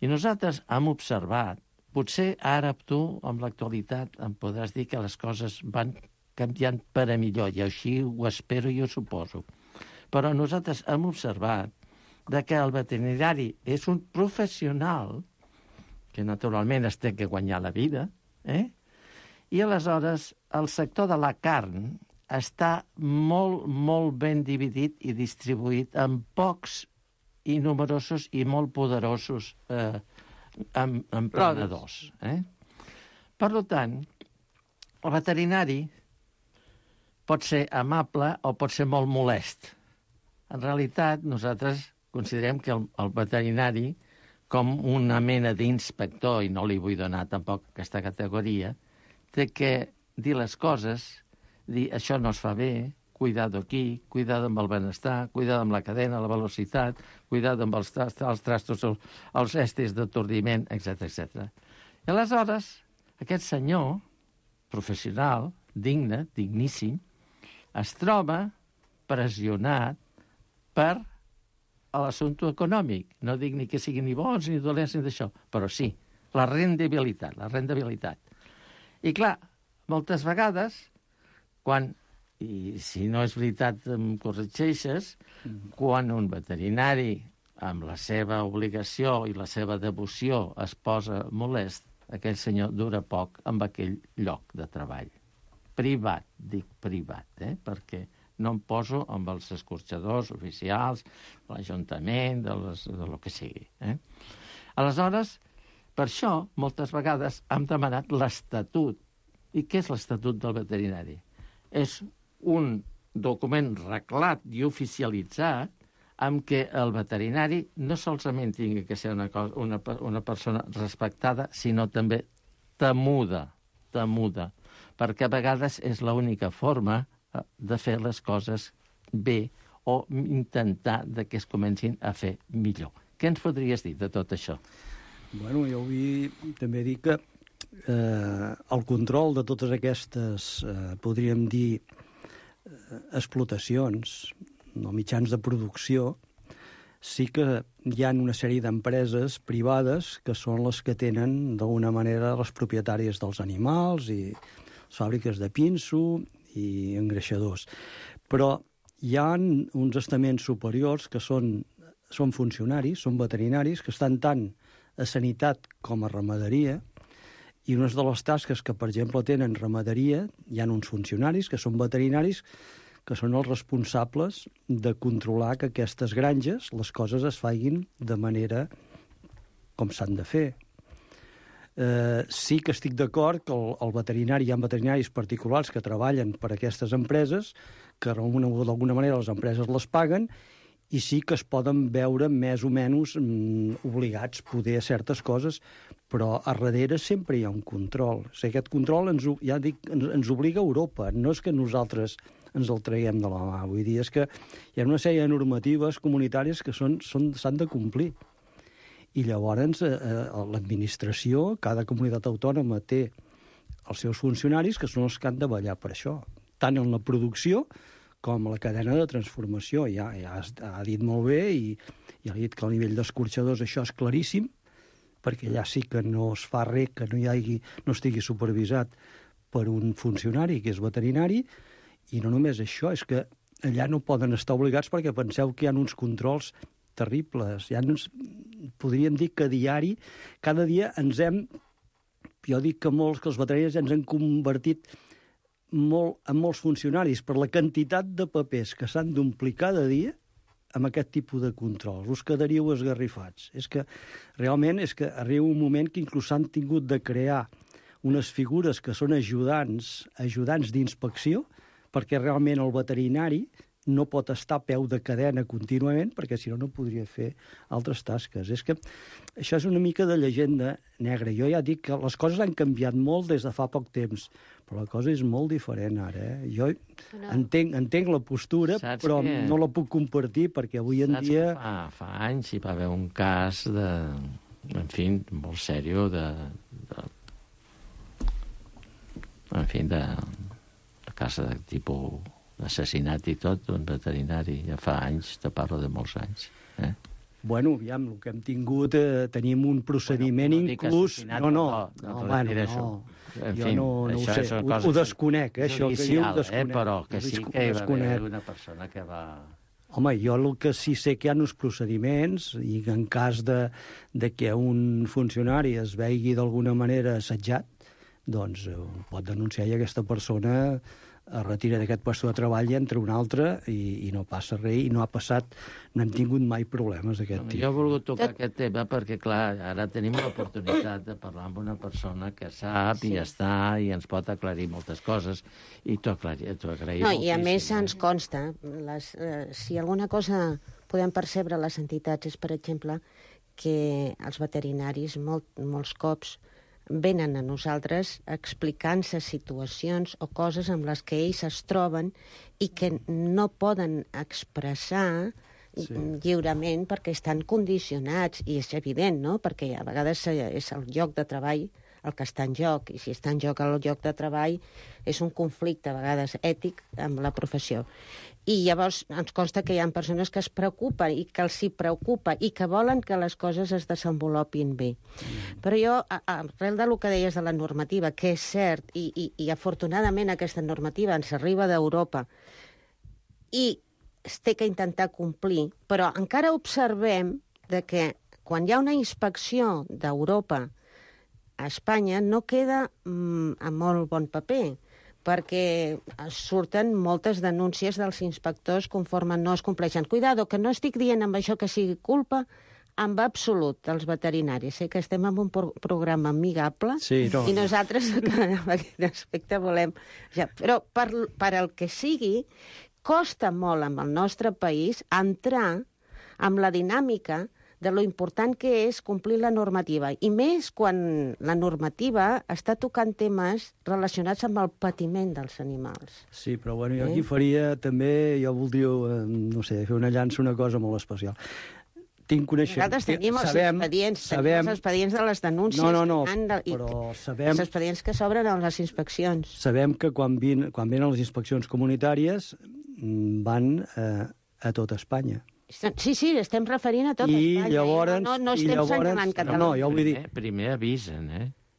I nosaltres hem observat, potser ara tu, amb l'actualitat, em podràs dir que les coses van canviant per a millor, i així ho espero i ho suposo. Però nosaltres hem observat que el veterinari és un professional que naturalment es té que guanyar la vida, i aleshores el sector de la carn està molt, molt ben dividit i distribuït en pocs i numerosos i molt poderosos emprenedors. Per tant, el veterinari pot ser amable o pot ser molt molest. En realitat, nosaltres considerem que el veterinari, com una mena d'inspector, i no li vull donar tampoc aquesta categoria, té que dir les coses, dir això no es fa bé, cuidado aquí, cuidado amb el benestar, cuidado amb la cadena, la velocitat, cuidado amb els trastos, els estis d'atordiment, etc. I aleshores, aquest senyor, professional, digne, digníssim, es troba pressionat per l'assumpte econòmic. No dic ni que siguin ni bons ni dolents ni d'això, però sí, la rendibilitat. I clar, moltes vegades, quan, i si no és veritat em corregeixes, quan un veterinari amb la seva obligació i la seva devoció es posa molest, aquell senyor dura poc amb aquell lloc de treball. Privat, dic privat, perquè no em poso amb els escorxadors oficials, l'Ajuntament, de lo que sigui. Aleshores, per això, moltes vegades hem demanat l'estatut. I què és l'estatut del veterinari? És un document reglat i oficialitzat amb què el veterinari no solament tingui que ser una persona respectada, sinó també temuda, perquè a vegades és l'única forma de fer les coses bé o intentar que es comencin a fer millor. Què ens podries dir de tot això? Bueno, jo vull també dir que el control de totes aquestes, podríem dir, explotacions, no, mitjans de producció, sí que hi ha una sèrie d'empreses privades que són les que tenen, d'alguna manera, les propietàries dels animals i les fàbriques de pinso i engreixadors. Però hi ha uns estaments superiors que són funcionaris, són veterinaris, que estan tant a sanitat com a ramaderia I una de les tasques que, per exemple, tenen ramaderia, hi ha uns funcionaris que són veterinaris, que són els responsables de controlar que aquestes granges, les coses es facin de manera com s'han de fer. Sí que estic d'acord que el veterinari, hi ha veterinaris particulars que treballen per a aquestes empreses, que d'alguna manera les empreses les paguen, i sí que es poden veure més o menys obligats poder a certes coses, però a darrere sempre hi ha un control. O sigui, aquest control ens obliga a Europa, no és que nosaltres ens el traguem de la mà. Vull dir, és que hi ha una sèrie de normatives comunitàries que s'han de complir. I llavors l'administració, cada comunitat autònoma té els seus funcionaris que són els que han de vetllar per això, tant en la producció com a la cadena de transformació. Ja ha dit molt bé i ha dit que al nivell d'escorxadors això és claríssim, perquè allà sí que no es fa res que no estigui supervisat per un funcionari que és veterinari, i no només això, és que allà no poden estar obligats perquè penseu que hi ha uns controls terribles. Podríem dir que cada dia jo dic que els veterinaris ens han convertit en molts funcionaris per la quantitat de papers que s'han d'omplir cada dia amb aquest tipus de controls. Us quedaríeu esgarrifats. És que realment arriba un moment que inclús s'han tingut de crear unes figures que són ajudants d'inspecció, perquè realment el veterinari no pot estar a peu de cadena contínuament, perquè si no podria fer altres tasques. És que això és una mica de llegenda negra. Jo ja dic que les coses han canviat molt des de fa poc temps, però la cosa és molt diferent ara. Jo entenc la postura, però no la puc compartir, perquè avui en dia... Fa anys hi va haver un cas molt sèrio de casa de tipus assassinat i tot, d'un veterinari. Ja fa anys, te parlo de molts anys. Bueno, aviam, el que hem tingut, tenim un procediment inclús... No. Jo no ho sé, ho desconec, això que diu, ho desconec. Però que sí que hi va haver una persona que va... Home, jo el que sí sé que hi ha uns procediments, i en cas de que un funcionari es vegi d'alguna manera assetjat, doncs pot denunciar i aquesta persona es retira d'aquest lloc de treball i entra un altre i no passa res, i no hem tingut mai problemes d'aquest tipus. Jo he volgut tocar aquest tema perquè, clar, ara tenim l'oportunitat de parlar amb una persona que sap i està i ens pot aclarir moltes coses, i t'ho agraïm moltíssim. I a més ens consta, si alguna cosa podem percebre les entitats és, per exemple, que els veterinaris molts cops venen a nosaltres explicant-se situacions o coses amb les que ells es troben i que no poden expressar lliurement perquè estan condicionats, i és evident, no? Perquè a vegades és el lloc de treball el que està en joc, i si està en joc el lloc de treball és un conflicte a vegades ètic amb la professió. I llavors ens consta que hi ha persones que es preocupen i que els hi preocupa i que volen que les coses es desenvolupin bé. Però jo, arrel del que deies de la normativa, que és cert, i afortunadament aquesta normativa ens arriba d'Europa i es té que intentar complir, però encara observem que quan hi ha una inspecció d'Europa a Espanya no queda a molt bon paper, perquè surten moltes denúncies dels inspectors conforme no es compleixen. Cuidado, que no estic dient amb això que sigui culpa en absolut dels veterinaris. Sé que estem en un programa amigable i nosaltres en aquest aspecte volem... Però per el que sigui, costa molt en el nostre país entrar amb la dinàmica de lo important que és complir la normativa, i més quan la normativa està tocant temes relacionats amb el patiment dels animals. Sí, però bueno, jo aquí faria també, jo voldria, no sé, fer una llança, una cosa molt especial. Nosaltres tenim els expedients de les denúncies. No, però sabem... Els expedients que s'obren a les inspeccions. Sabem que quan venen les inspeccions comunitàries van a tot Espanya. Sí, estem referint a tot Espanya. Llavors, no estem senyalant Catalunya. No, jo vull dir... Primer avisen,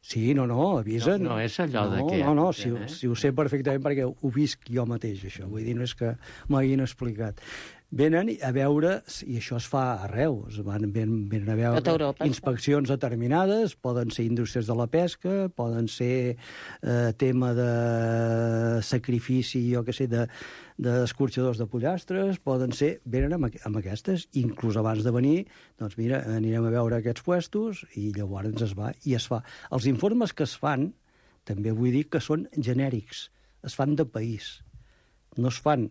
Sí, avisen. No és allò de que... No, si ho sé perfectament perquè ho visc jo mateix, això. Vull dir, no és que m'hagin explicat. venen a veure, i això es fa arreu, venen a veure inspeccions determinades, poden ser indústries de la pesca, poden ser tema de sacrifici, jo què sé, d'escorxadors de pollastres, venen amb aquestes, inclús abans de venir, doncs mira, anirem a veure aquests puestos, i llavors es va, i es fa. Els informes que es fan, també vull dir que són genèrics, es fan de país, no es fan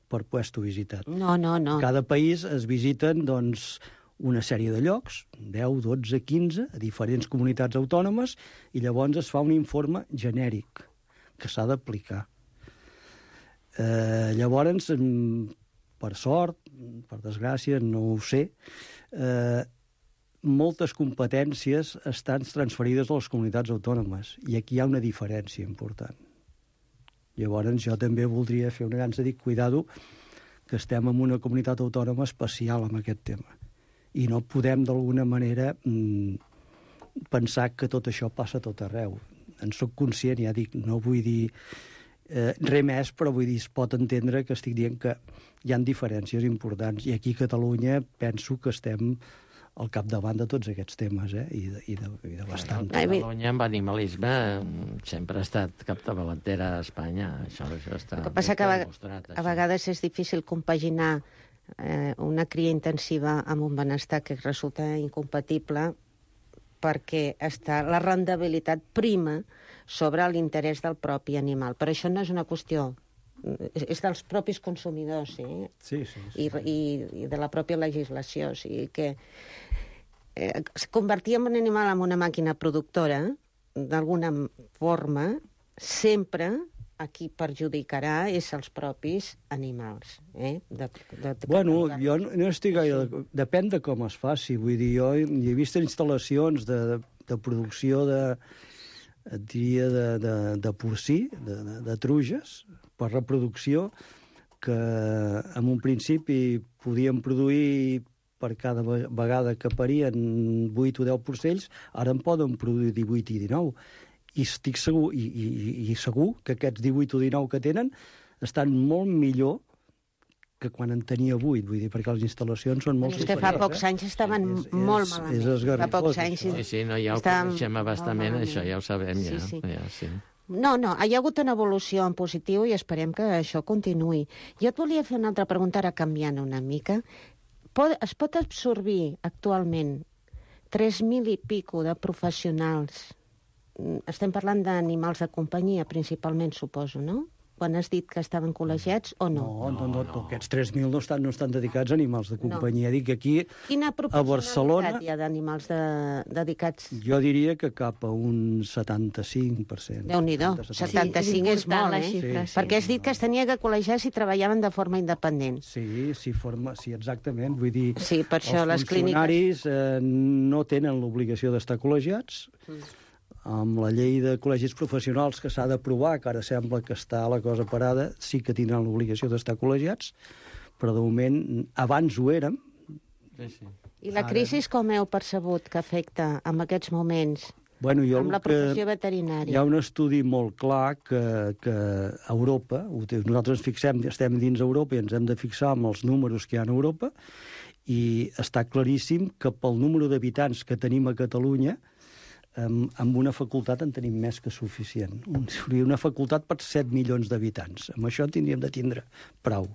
per puesto visitat. No. Cada país es visiten, doncs, una sèrie de llocs, 10, 12, 15, a diferents comunitats autònomes, i llavors es fa un informe genèric que s'ha d'aplicar. Llavors, per sort, per desgràcia, no ho sé, moltes competències estan transferides a les comunitats autònomes, i aquí hi ha una diferència important. Llavors, jo també voldria fer una llança, dic, cuidado, que estem en una comunitat autònoma especial amb aquest tema. I no podem, d'alguna manera, pensar que tot això passa a tot arreu. En soc conscient, ja dic, no vull dir res més, però vull dir, es pot entendre que estic dient que hi ha diferències importants. I aquí a Catalunya penso que estem al capdavant de tots aquests temes, i de bastant. Catalunya amb animalisme sempre ha estat capdavantera a Espanya. Això està el que passa que a vegades és difícil compaginar una cria intensiva amb un benestar que resulta incompatible, perquè la rendibilitat prima sobre l'interès del propi animal. Però això no és una qüestió, és dels propis consumidors, sí. I de la pròpia legislació. O sigui que convertir un animal en una màquina productora, d'alguna forma, sempre a qui perjudicarà és els propis animals. Bueno, jo no estic gaire... Depèn de com es faci. Vull dir, jo he vist instal·lacions de producció de porcí, de truges, per reproducció, que en un principi podien produir per cada vegada que parien 8 o 10 porcells, ara en poden produir 18 i 19. I estic segur, i segur que aquests 18 o 19 que tenen estan molt millor que quan en tenia 8, vull dir, perquè les instal·lacions són molt superiors. És que fa pocs anys estaven molt malament. És esgarrifós. Fa pocs anys... Sí, no, ja ho coneixem abastament, això ja ho sabem, ja. Sí. No, hi ha hagut una evolució en positiu i esperem que això continuï. Jo et volia fer una altra pregunta, ara canviant una mica. Es pot absorbir actualment 3.000 i pico de professionals? Estem parlant d'animals de companyia, principalment, suposo, no? Quan has dit que estaven col·legiats o no? No. Aquests 3.000 no estan dedicats a animals de companyia. No. Dic aquí, quina a Barcelona... hi ha d'animals dedicats? Jo diria que cap a un 75%. Déu-n'hi-do, 75 és molt, Sí. Perquè has dit que es tenia que col·legiar si treballaven de forma independent. Sí, exactament. Vull dir, sí, per això els funcionaris no tenen l'obligació d'estar col·legiats. Amb la llei de col·legis professionals que s'ha d'aprovar, que ara sembla que està la cosa parada, sí que tindran l'obligació d'estar col·legiats, però de moment, abans ho érem. Sí. I la crisi com heu percebut que afecta en aquests moments amb la professió veterinària? Hi ha un estudi molt clar que a Europa, nosaltres estem dins Europa i ens hem de fixar amb els números que hi ha a Europa, i està claríssim que pel número d'habitants que tenim a Catalunya, amb una facultat en tenim més que suficient. Una facultat per 7 milions d'habitants. Amb això tindríem de tindre prou.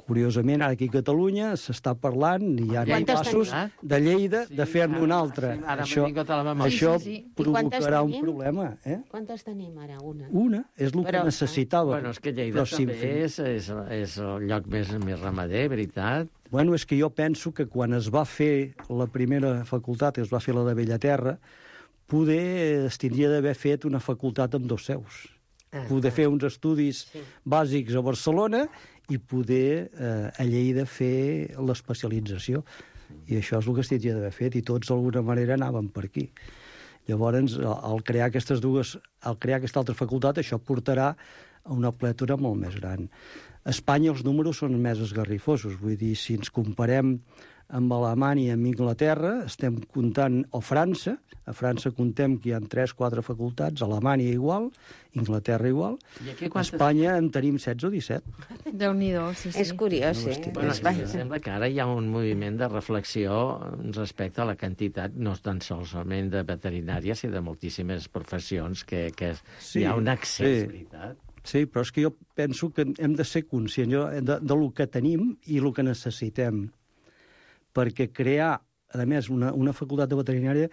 Curiosament, ara aquí a Catalunya s'està parlant, i hi ha passos de Lleida, de fer-ne una altra. Això provocarà un problema. Quantes tenim ara? Una, és el que necessitava. Bueno, és que Lleida també és el lloc més ramader, veritat? Bueno, és que jo penso que quan es va fer la primera facultat, es va fer la de Bellaterra, poder es tindria d'haver fet una facultat amb 2 seus. Poder fer uns estudis bàsics a Barcelona i poder a Lleida fer l'especialització. I això és el que es tindria d'haver fet, i tots d'alguna manera anaven per aquí. Llavors, al crear aquesta altra facultat, això portarà a una plètora molt més gran. A Espanya els números són més esgarrifosos, vull dir, si ens comparem amb Alemanya i amb Inglaterra, estem comptant, o França, a França contem que hi ha 3-4 facultats, Alemanya igual, Inglaterra igual, a Espanya en tenim 16 o 17. Déu-n'hi-do, sí. És curiós, sí. Bueno, sembla que ara hi ha un moviment de reflexió respecte a la quantitat, no tan solament de veterinària, sinó de moltíssimes professions que hi ha un accés, veritat? Sí, però és que jo penso que hem de ser conscients de lo que tenim i el que necessitem. Perquè crear, a més, una facultat de veterinària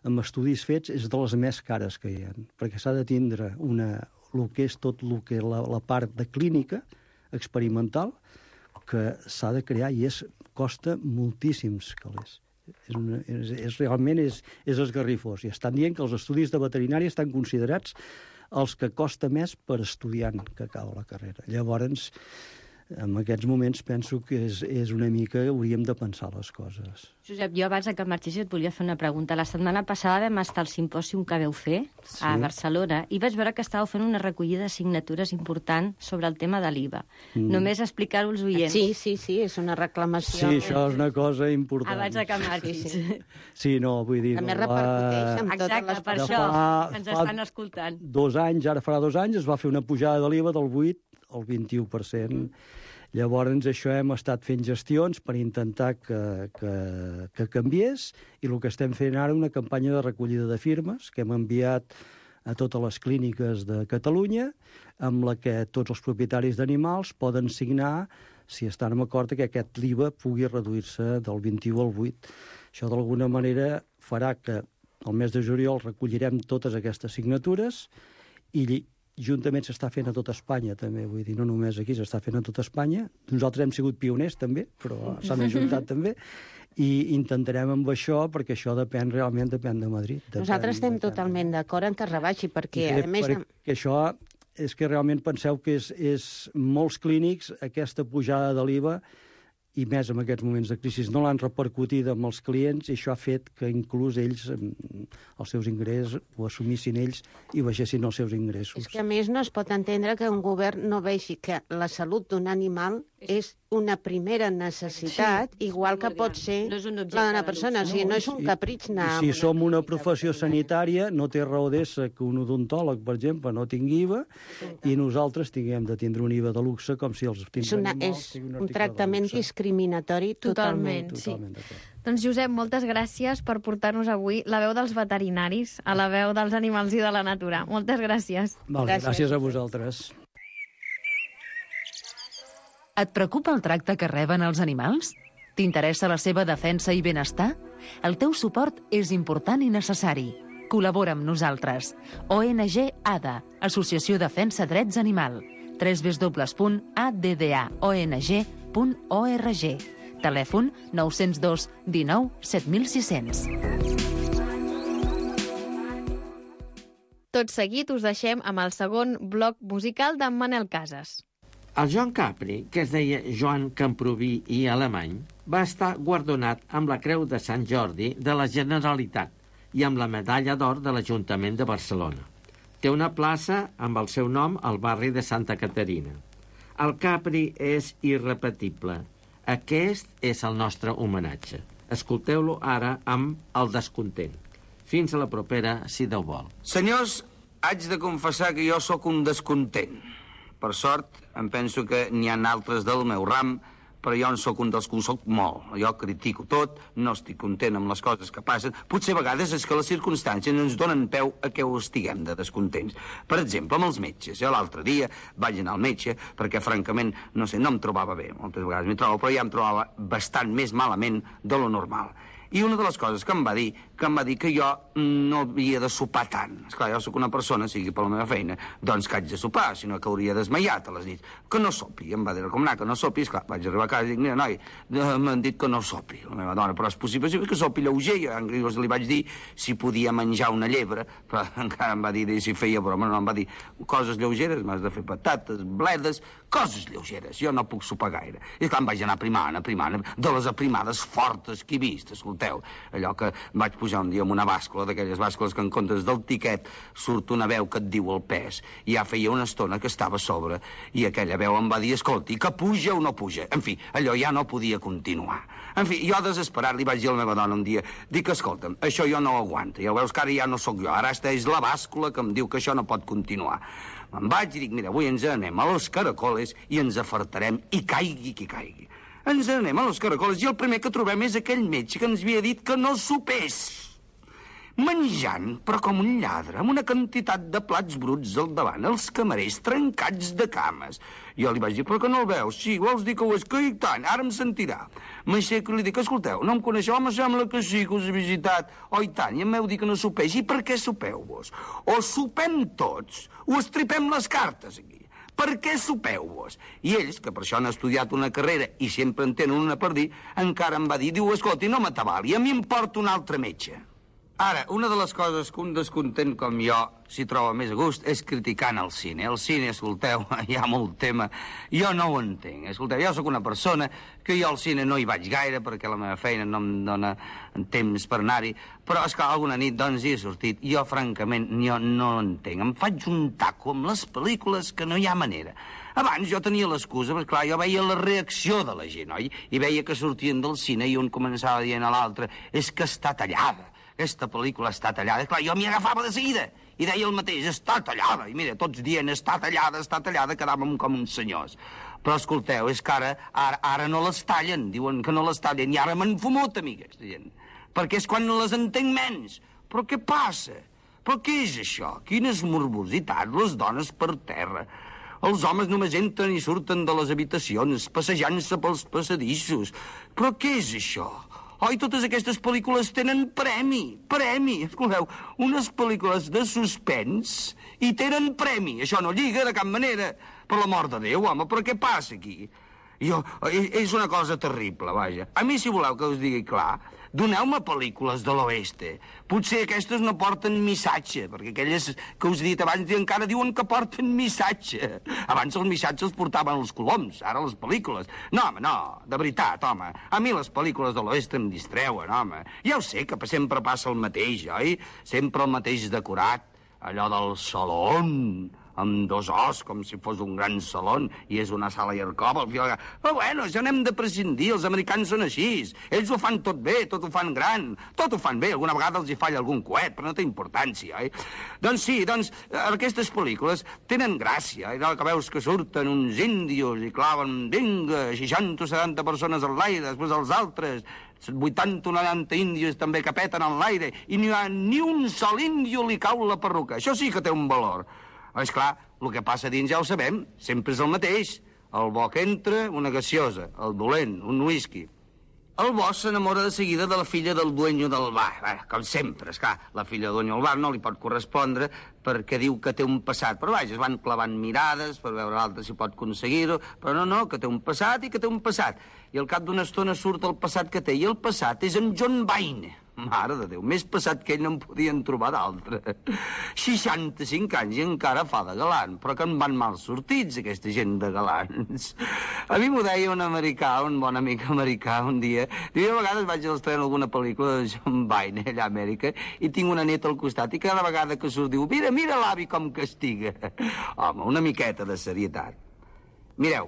amb estudis fets és de les més cares que hi ha, perquè s'ha de tindre el que és tot el que la part de clínica experimental que s'ha de crear i costa moltíssims calés. Realment és esgarrifós. I estan dient que els estudis de veterinària estan considerats els que costa més per estudiant que acaba la carrera. Llavors, en aquests moments penso que és una mica hauríem de pensar les coses. Josep, jo abans que marxis et volia fer una pregunta. La setmana passada vam estar al simpòsium que veu fer a Barcelona i vaig veure que estàveu fent una recollida de signatures important sobre el tema de l'IVA. Només explicar-ho als oients. Sí, és una reclamació. Sí, això és una cosa important. Abans que marxis. Sí, no, vull dir... També repercuteix amb totes les per això ens estan escoltant. 2 anys, ara farà 2 anys, es va fer una pujada de l'IVA del 8 al 21%. Llavors, això hem estat fent gestions per intentar que canviés i el que estem fent ara una campanya de recollida de firmes que hem enviat a totes les clíniques de Catalunya amb la que tots els propietaris d'animals poden signar si estan d'acord que aquest l'IVA pugui reduir-se del 21 al 8. Això d'alguna manera farà que al mes de juliol recollirem totes aquestes signatures i juntament s'està fent a tota Espanya, també, vull dir, no només aquí, s'està fent a tota Espanya. Nosaltres hem sigut pioners, també, però s'han ajuntat també, i intentarem amb això, perquè això depèn de Madrid. Nosaltres estem totalment d'acord en que rebaixi, perquè, a més... Perquè això és que realment penseu que és molts clínics, aquesta pujada de l'IVA, i més en aquests moments de crisi, no l'han repercutit amb els clients i això ha fet que inclús ells, els seus ingressos, ho assumissin ells i baixessin els seus ingressos. És que a més no es pot entendre que un govern no vegi que la salut d'un animal és una primera necessitat, igual que pot ser la d'una persona. O sigui, no és un capritx anar... Si som una professió sanitària, no té raó d'ésser que un odontòleg, per exemple, no tingui IVA i nosaltres tinguem de tindre un IVA de luxe com si els tinguem animals. És un tractament discriminatori totalment. Sí. Doncs, Josep, moltes gràcies per portar-nos avui la veu dels veterinaris a la veu dels animals i de la natura. Moltes gràcies. Gràcies a vosaltres. Et preocupa el tracte que reben els animals? T'interessa la seva defensa i benestar? El teu suport és important i necessari. Col·labora amb nosaltres. ONG ADA, Associació Defensa Drets Animal. www.addaong.org. Telèfon 902 19 7600. Tot seguit us deixem amb el segon bloc musical d'en Manel Casas. El Joan Capri, que es deia Joan Camproví i Alemany, va estar guardonat amb la Creu de Sant Jordi de la Generalitat i amb la Medalla d'Or de l'Ajuntament de Barcelona. Té una plaça amb el seu nom al barri de Santa Caterina. El Capri és irrepetible. Aquest és el nostre homenatge. Escolteu-lo ara amb El descontent. Fins a la propera, si Déu vol. Senyors, haig de confessar que jo sóc un descontent. Per sort, em penso que n'hi ha altres del meu ram, però jo en sóc un dels que ho sóc molt. Jo critico tot, no estic content amb les coses que passen. Potser a vegades és que les circumstàncies ens donen peu a que ho estiguem de descontents. Per exemple, amb els metges. Jo l'altre dia vaig anar al metge perquè, francament, no em trobava bé. Moltes vegades m'hi trobo, però ja em trobava bastant més malament de lo normal. I una de les coses que em va dir que jo no havia de sopar tant. Esclar, jo sóc una persona, sigui per la meva feina, doncs que haig de sopar, sinó que hauria desmaiat a les nits. Que no sopi. Em va dir recomanar que no sopi. Esclar, vaig arribar a casa i dic, mira, noi, m'han dit que no sopi. La meva dona, però és possible que sopi lleuger. Jo li vaig dir si podia menjar una llebre, però encara em va dir si feia broma. No, em va dir coses lleugeres, m'has de fer patates, bledes, coses lleugeres. Jo no puc sopar gaire. I esclar, em vaig anar aprimant, de les aprimades fortes que he vist, escolteu. Allò que vaig posar pujar un dia amb una bàscula, d'aquelles bàscules que en comptes del tiquet surt una veu que et diu el pes. I ja feia una estona que estava a sobre i aquella veu em va dir, escolti, que puja o no puja. En fi, allò ja no podia continuar. En fi, jo desesperat li vaig dir a la meva dona un dia, dic, escolta'm, això jo no ho aguanto. Ja veus que ara ja no sóc jo, ara és la bàscula que em diu que això no pot continuar. Me'n vaig i dic, mira, avui ens anem a los Caracoles i ens afartarem i caigui qui caigui. Ens anem a los Caracoles i el primer que trobem és aquell metge que ens havia dit que no sopés. Menjant, però com un lladre, amb una quantitat de plats bruts al davant, els camarers trencats de cames. Jo li vaig dir, però que no el veus? Sí, vols dir que ho és? Que i tant, ara em sentirà. M'aixeco i li dic, escolteu, no em coneixeu? Home, sembla que sí, que us he visitat. Oh, i tant, i em veu dir que no sopeix. I per què sopeu vos? O sopem tots, o estripem les cartes aquí. Per què sopeu-vos? I ells, que per això han estudiat una carrera i sempre en tenen una per dir, encara em va dir, diu, escolti, no m'atabali, a mi em porta un altre metge. Ara, una de les coses que un descontent com jo s'hi troba més a gust és criticant el cine. El cine, escolteu, hi ha molt tema. Jo no ho entenc. Escolteu, jo sóc una persona que jo al cine no hi vaig gaire perquè la meva feina no em dona temps per anar-hi, però és que alguna nit doncs hi he sortit. Jo, francament, jo no entenc. Em faig un taco amb les pel·lícules que no hi ha manera. Abans jo tenia l'excusa, perquè clar, jo veia la reacció de la gent, oi? I veia que sortien del cine i un començava dient a l'altre, és que està tallada. Aquesta pel·lícula està tallada. Clar, jo m'hi agafava de seguida i deia el mateix, està tallada. I mira, tots dient, està tallada, quedàvem com uns senyors. Però escolteu, és que ara no les tallen, diuen que no les tallen, i ara m'han fumut a mi, aquesta gent. Perquè és quan no les entenc menys. Però què passa? Però què és això? Quines morbositats, les dones per terra. Els homes només entren i surten de les habitacions, passejant-se pels passadissos. Però què és això? Oi, totes aquestes pel·lícules tenen premi. Escolteu, unes pel·lícules de suspens i tenen premi. Això no lliga de cap manera. Per l'amor de Déu, home, però què passa aquí? És una cosa terrible, vaja. A mi, si voleu que us digui clar, doneu-me pel·lícules de l'oeste. Potser aquestes no porten missatge, perquè aquelles que us he dit abans encara diuen que porten missatge. Abans els missatges els portaven els coloms, ara les pel·lícules. No, home, no, de veritat, home. A mi les pel·lícules de l'oeste em distreuen, home. Ja ho sé que sempre passa el mateix, oi? Sempre el mateix decorat. Allò del salón, amb dos os, com si fos un gran saló, i és una sala i arcova. Però bueno, això n'hem de prescindir, els americans són així. Ells ho fan tot bé, tot ho fan gran, tot ho fan bé. Alguna vegada els hi falla algun coet, però no té importància, oi? Doncs sí, aquestes pel·lícules tenen gràcia, i que veus que surten uns índios i claven, vinga, 60 o 70 persones en l'aire, després els altres 80 o 90 índios també que peten en l'aire, i ni un sol índio li cau la perruca. Això sí que té un valor. És clar, el que passa dins ja ho sabem, sempre és el mateix. El bo que entra, una gaseosa. El dolent, un whisky. El bo s'enamora de seguida de la filla del dueño del bar. Com sempre, esclar, la filla del dueño del bar no li pot correspondre perquè diu que té un passat. Però vaja, es van clavant mirades per veure l'altre si pot aconseguir-ho. Però no, que té un passat i que té un passat. I al cap d'una estona surt el passat que té. I el passat és en John Wayne. Mare de Déu, més passat que ell no en podien trobar d'altre. 65 anys i encara fa de galant, però que en van mal sortits, aquesta gent de galants. A mi m'ho deia un americà, un bon amic americà, un dia. Diu, a vegades vaig a l'estrenar alguna pel·lícula de John Wayne, allà a Amèrica, i tinc una neta al costat, i cada vegada que surt diu, mira l'avi com castiga. Home, una miqueta de serietat. Mireu,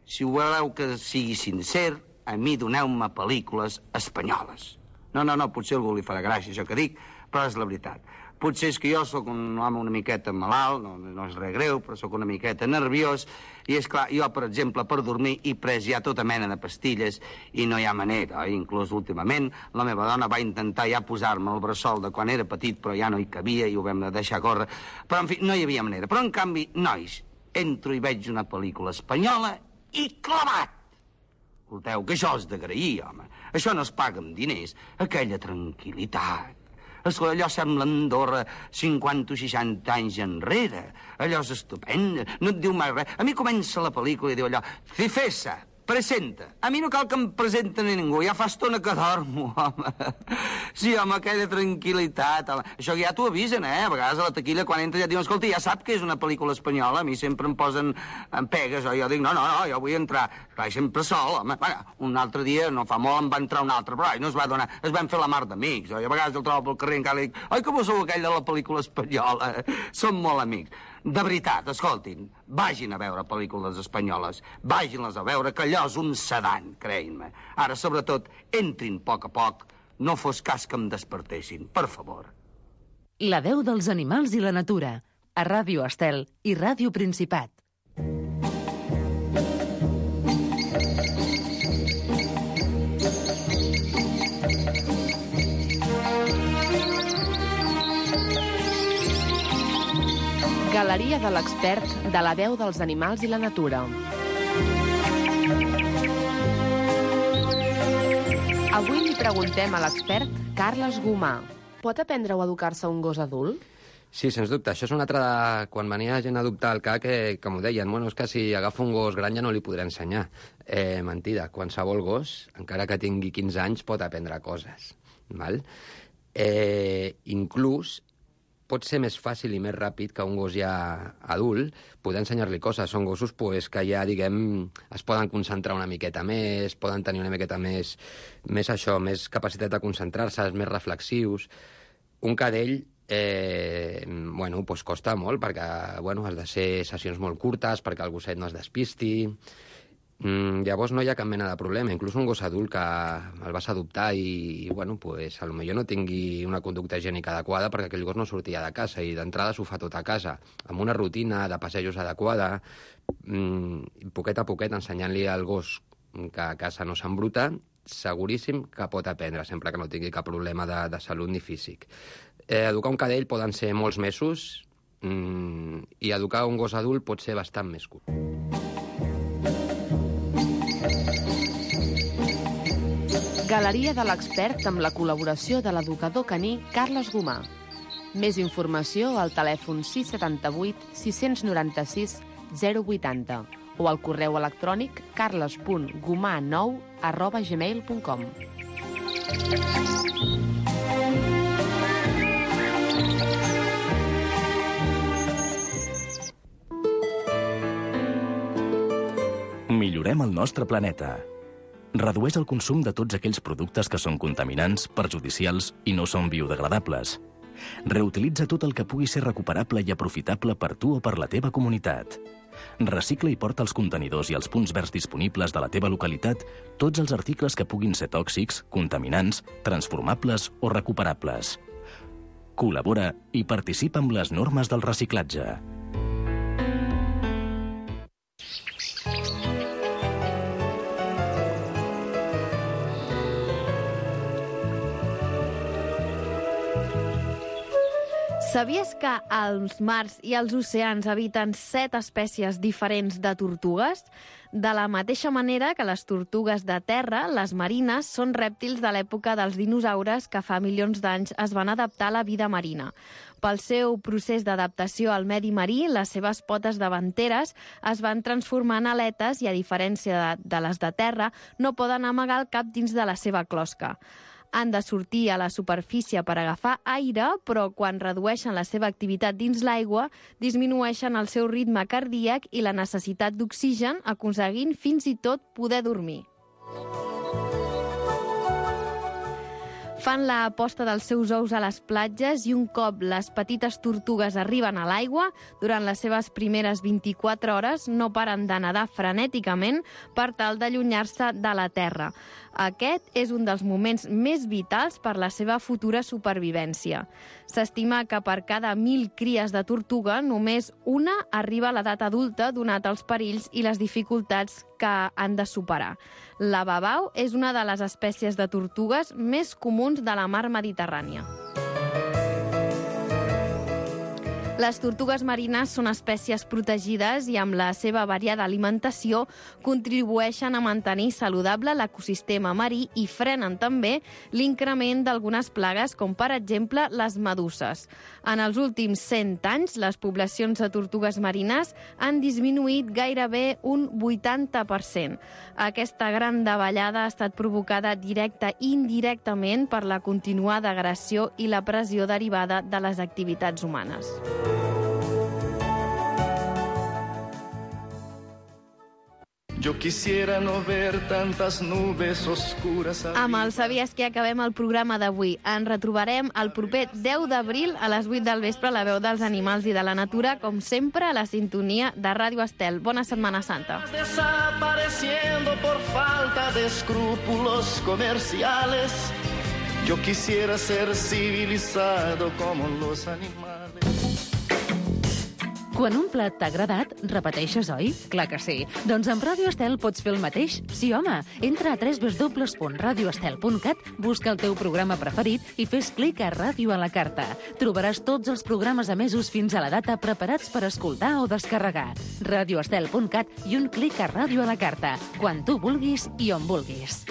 si voleu que sigui sincer, a mi doneu-me pel·lícules espanyoles. No, potser algú li farà gràcia això que dic, però és la veritat. Potser és que jo sóc un home una miqueta malalt, no és res greu, però sóc una miqueta nerviós, i és clar, jo, per exemple, per dormir he pres ja tota mena de pastilles i no hi ha manera. Inclús últimament la meva dona va intentar ja posar-me el bressol de quan era petit, però ja no hi cabia i ho vam deixar córrer. Però, en fi, no hi havia manera. Però, en canvi, nois, entro i veig una pel·lícula espanyola i clavat! Escolteu, que això és d'agrair, home. Això no es paga amb diners. Aquella tranquil·litat. Escolta, allò sembla Andorra 50 o 60 anys enrere. Allò és estupend, no et diu mai res. A mi comença la pel·lícula i diu allò, Cifesa, presenta. A mi no cal que em presenten a ningú, ja fa estona que dormo, home. Sí, home, aquella tranquil·litat, home. Això ja t'ho avisen, A vegades a la taquilla, quan entra, ja et diuen, escolta, ja sap que és una pel·lícula espanyola, a mi sempre em posen en pegues, jo dic, no, jo vull entrar. Clar, sempre sol, home. Bueno, un altre dia, no fa molt, em va entrar un altre, però no es va donar, es van fer la mar d'amics. I a vegades el trobo pel carrer encara li dic, oi, que vos sou aquell de la pel·lícula espanyola? Som molt amics. De veritat, escoltin, vagin a veure pel·lícules espanyoles, vagin-les a veure, que allò és un sedant, creguin-me. Ara, sobretot, entrin a poc, no fos cas que em despertessin, per favor. La veu dels animals i la natura, a Ràdio Estel i Ràdio Principat. Galeria de l'expert de la veu dels animals i la natura. Avui li preguntem a l'expert Carles Gomà. Pot aprendre o educar-se un gos adult? Sí, sens dubte. Això és una altra de... Quan venia gent a adoptar el CAC, que m'ho deien, bueno, és que si agafa un gos gran ja no li podré ensenyar. Mentida, qualsevol gos, encara que tingui 15 anys, pot aprendre coses. Val? Inclús pot ser més fàcil i més ràpid que un gos ja adult poder ensenyar-li coses. Són gossos que ja, diguem, es poden concentrar una miqueta més, poden tenir una miqueta més capacitat de concentrar-se, més reflexius. Un cadell, costa molt, perquè has de ser sessions molt curtes, perquè el gosset no es despisti. Llavors no hi ha cap mena de problema. Inclús un gos adult que el vas adoptar i potser no tingui una conducta higiènica adequada perquè aquell gos no sortia de casa i d'entrada s'ho fa tot a casa, amb una rutina de passejos adequada, poquet a poquet ensenyant-li al gos que a casa no s'embruta, seguríssim que pot aprendre, sempre que no tingui cap problema de salut ni físic. Educar un cadell poden ser molts mesos i educar un gos adult pot ser bastant més curt. Galeria de l'expert amb la col·laboració de l'educador caní Carles Gomà. Més informació al telèfon 678 696 080 o al correu electrònic carles.gomà9@gmail.com. Millorem el nostre planeta. Redueix el consum de tots aquells productes que són contaminants, perjudicials i no són biodegradables. Reutilitza tot el que pugui ser recuperable i aprofitable per tu o per la teva comunitat. Recicla i porta als contenidors i als punts verds disponibles de la teva localitat tots els articles que puguin ser tòxics, contaminants, transformables o recuperables. Col·labora i participa amb les normes del reciclatge. Sabies que als mars i als oceans habiten 7 espècies diferents de tortugues? De la mateixa manera que les tortugues de terra, les marines són rèptils de l'època dels dinosaures que fa milions d'anys es van adaptar a la vida marina. Pel seu procés d'adaptació al medi marí, les seves potes davanteres es van transformar en aletes i, a diferència de les de terra, no poden amagar el cap dins de la seva closca. Han de sortir a la superfície per agafar aire, però quan redueixen la seva activitat dins l'aigua, disminueixen el seu ritme cardíac i la necessitat d'oxigen, aconseguint fins i tot poder dormir. Fan la posta dels seus ous a les platges i un cop les petites tortugues arriben a l'aigua, durant les seves primeres 24 hores no paren de nedar frenèticament per tal d'allunyar-se de la terra. Aquest és un dels moments més vitals per la seva futura supervivència. S'estima que per cada 1.000 cries de tortuga, només una arriba a l'edat adulta, donat els perills i les dificultats que han de superar. La babau és una de les espècies de tortugues més comuns de la mar Mediterrània. Les tortugues marines són espècies protegides i amb la seva variada alimentació contribueixen a mantenir saludable l'ecosistema marí i frenen també l'increment d'algunes plagues, com per exemple les meduses. En els últims 100 anys, les poblacions de tortugues marines han disminuït gairebé un 80%. Aquesta gran davallada ha estat provocada directa i indirectament per la continuada agressió i la pressió derivada de les activitats humanes. Yo quisiera no ver tantas nubes oscuras. Amb el Sabies que acabem el programa d'avui. Ens retrobarem el proper 10 d'abril a les 8 del vespre a la veu dels animals i de la natura, com sempre a la sintonia de Ràdio Estel. Bona Setmana Santa. Desapareciendo por falta de escrúpulos comerciales. Yo quisiera ser civilizado como los animales. Quan un plat t'ha agradat, repeteixes, oi? Clar que sí. Doncs amb Ràdio Estel pots fer el mateix? Sí, home. Entra a www.radioestel.cat, busca el teu programa preferit i fes clic a Ràdio a la carta. Trobaràs tots els programes emesos fins a la data preparats per escoltar o descarregar. radioestel.cat i un clic a Ràdio a la carta, quan tu vulguis i on vulguis.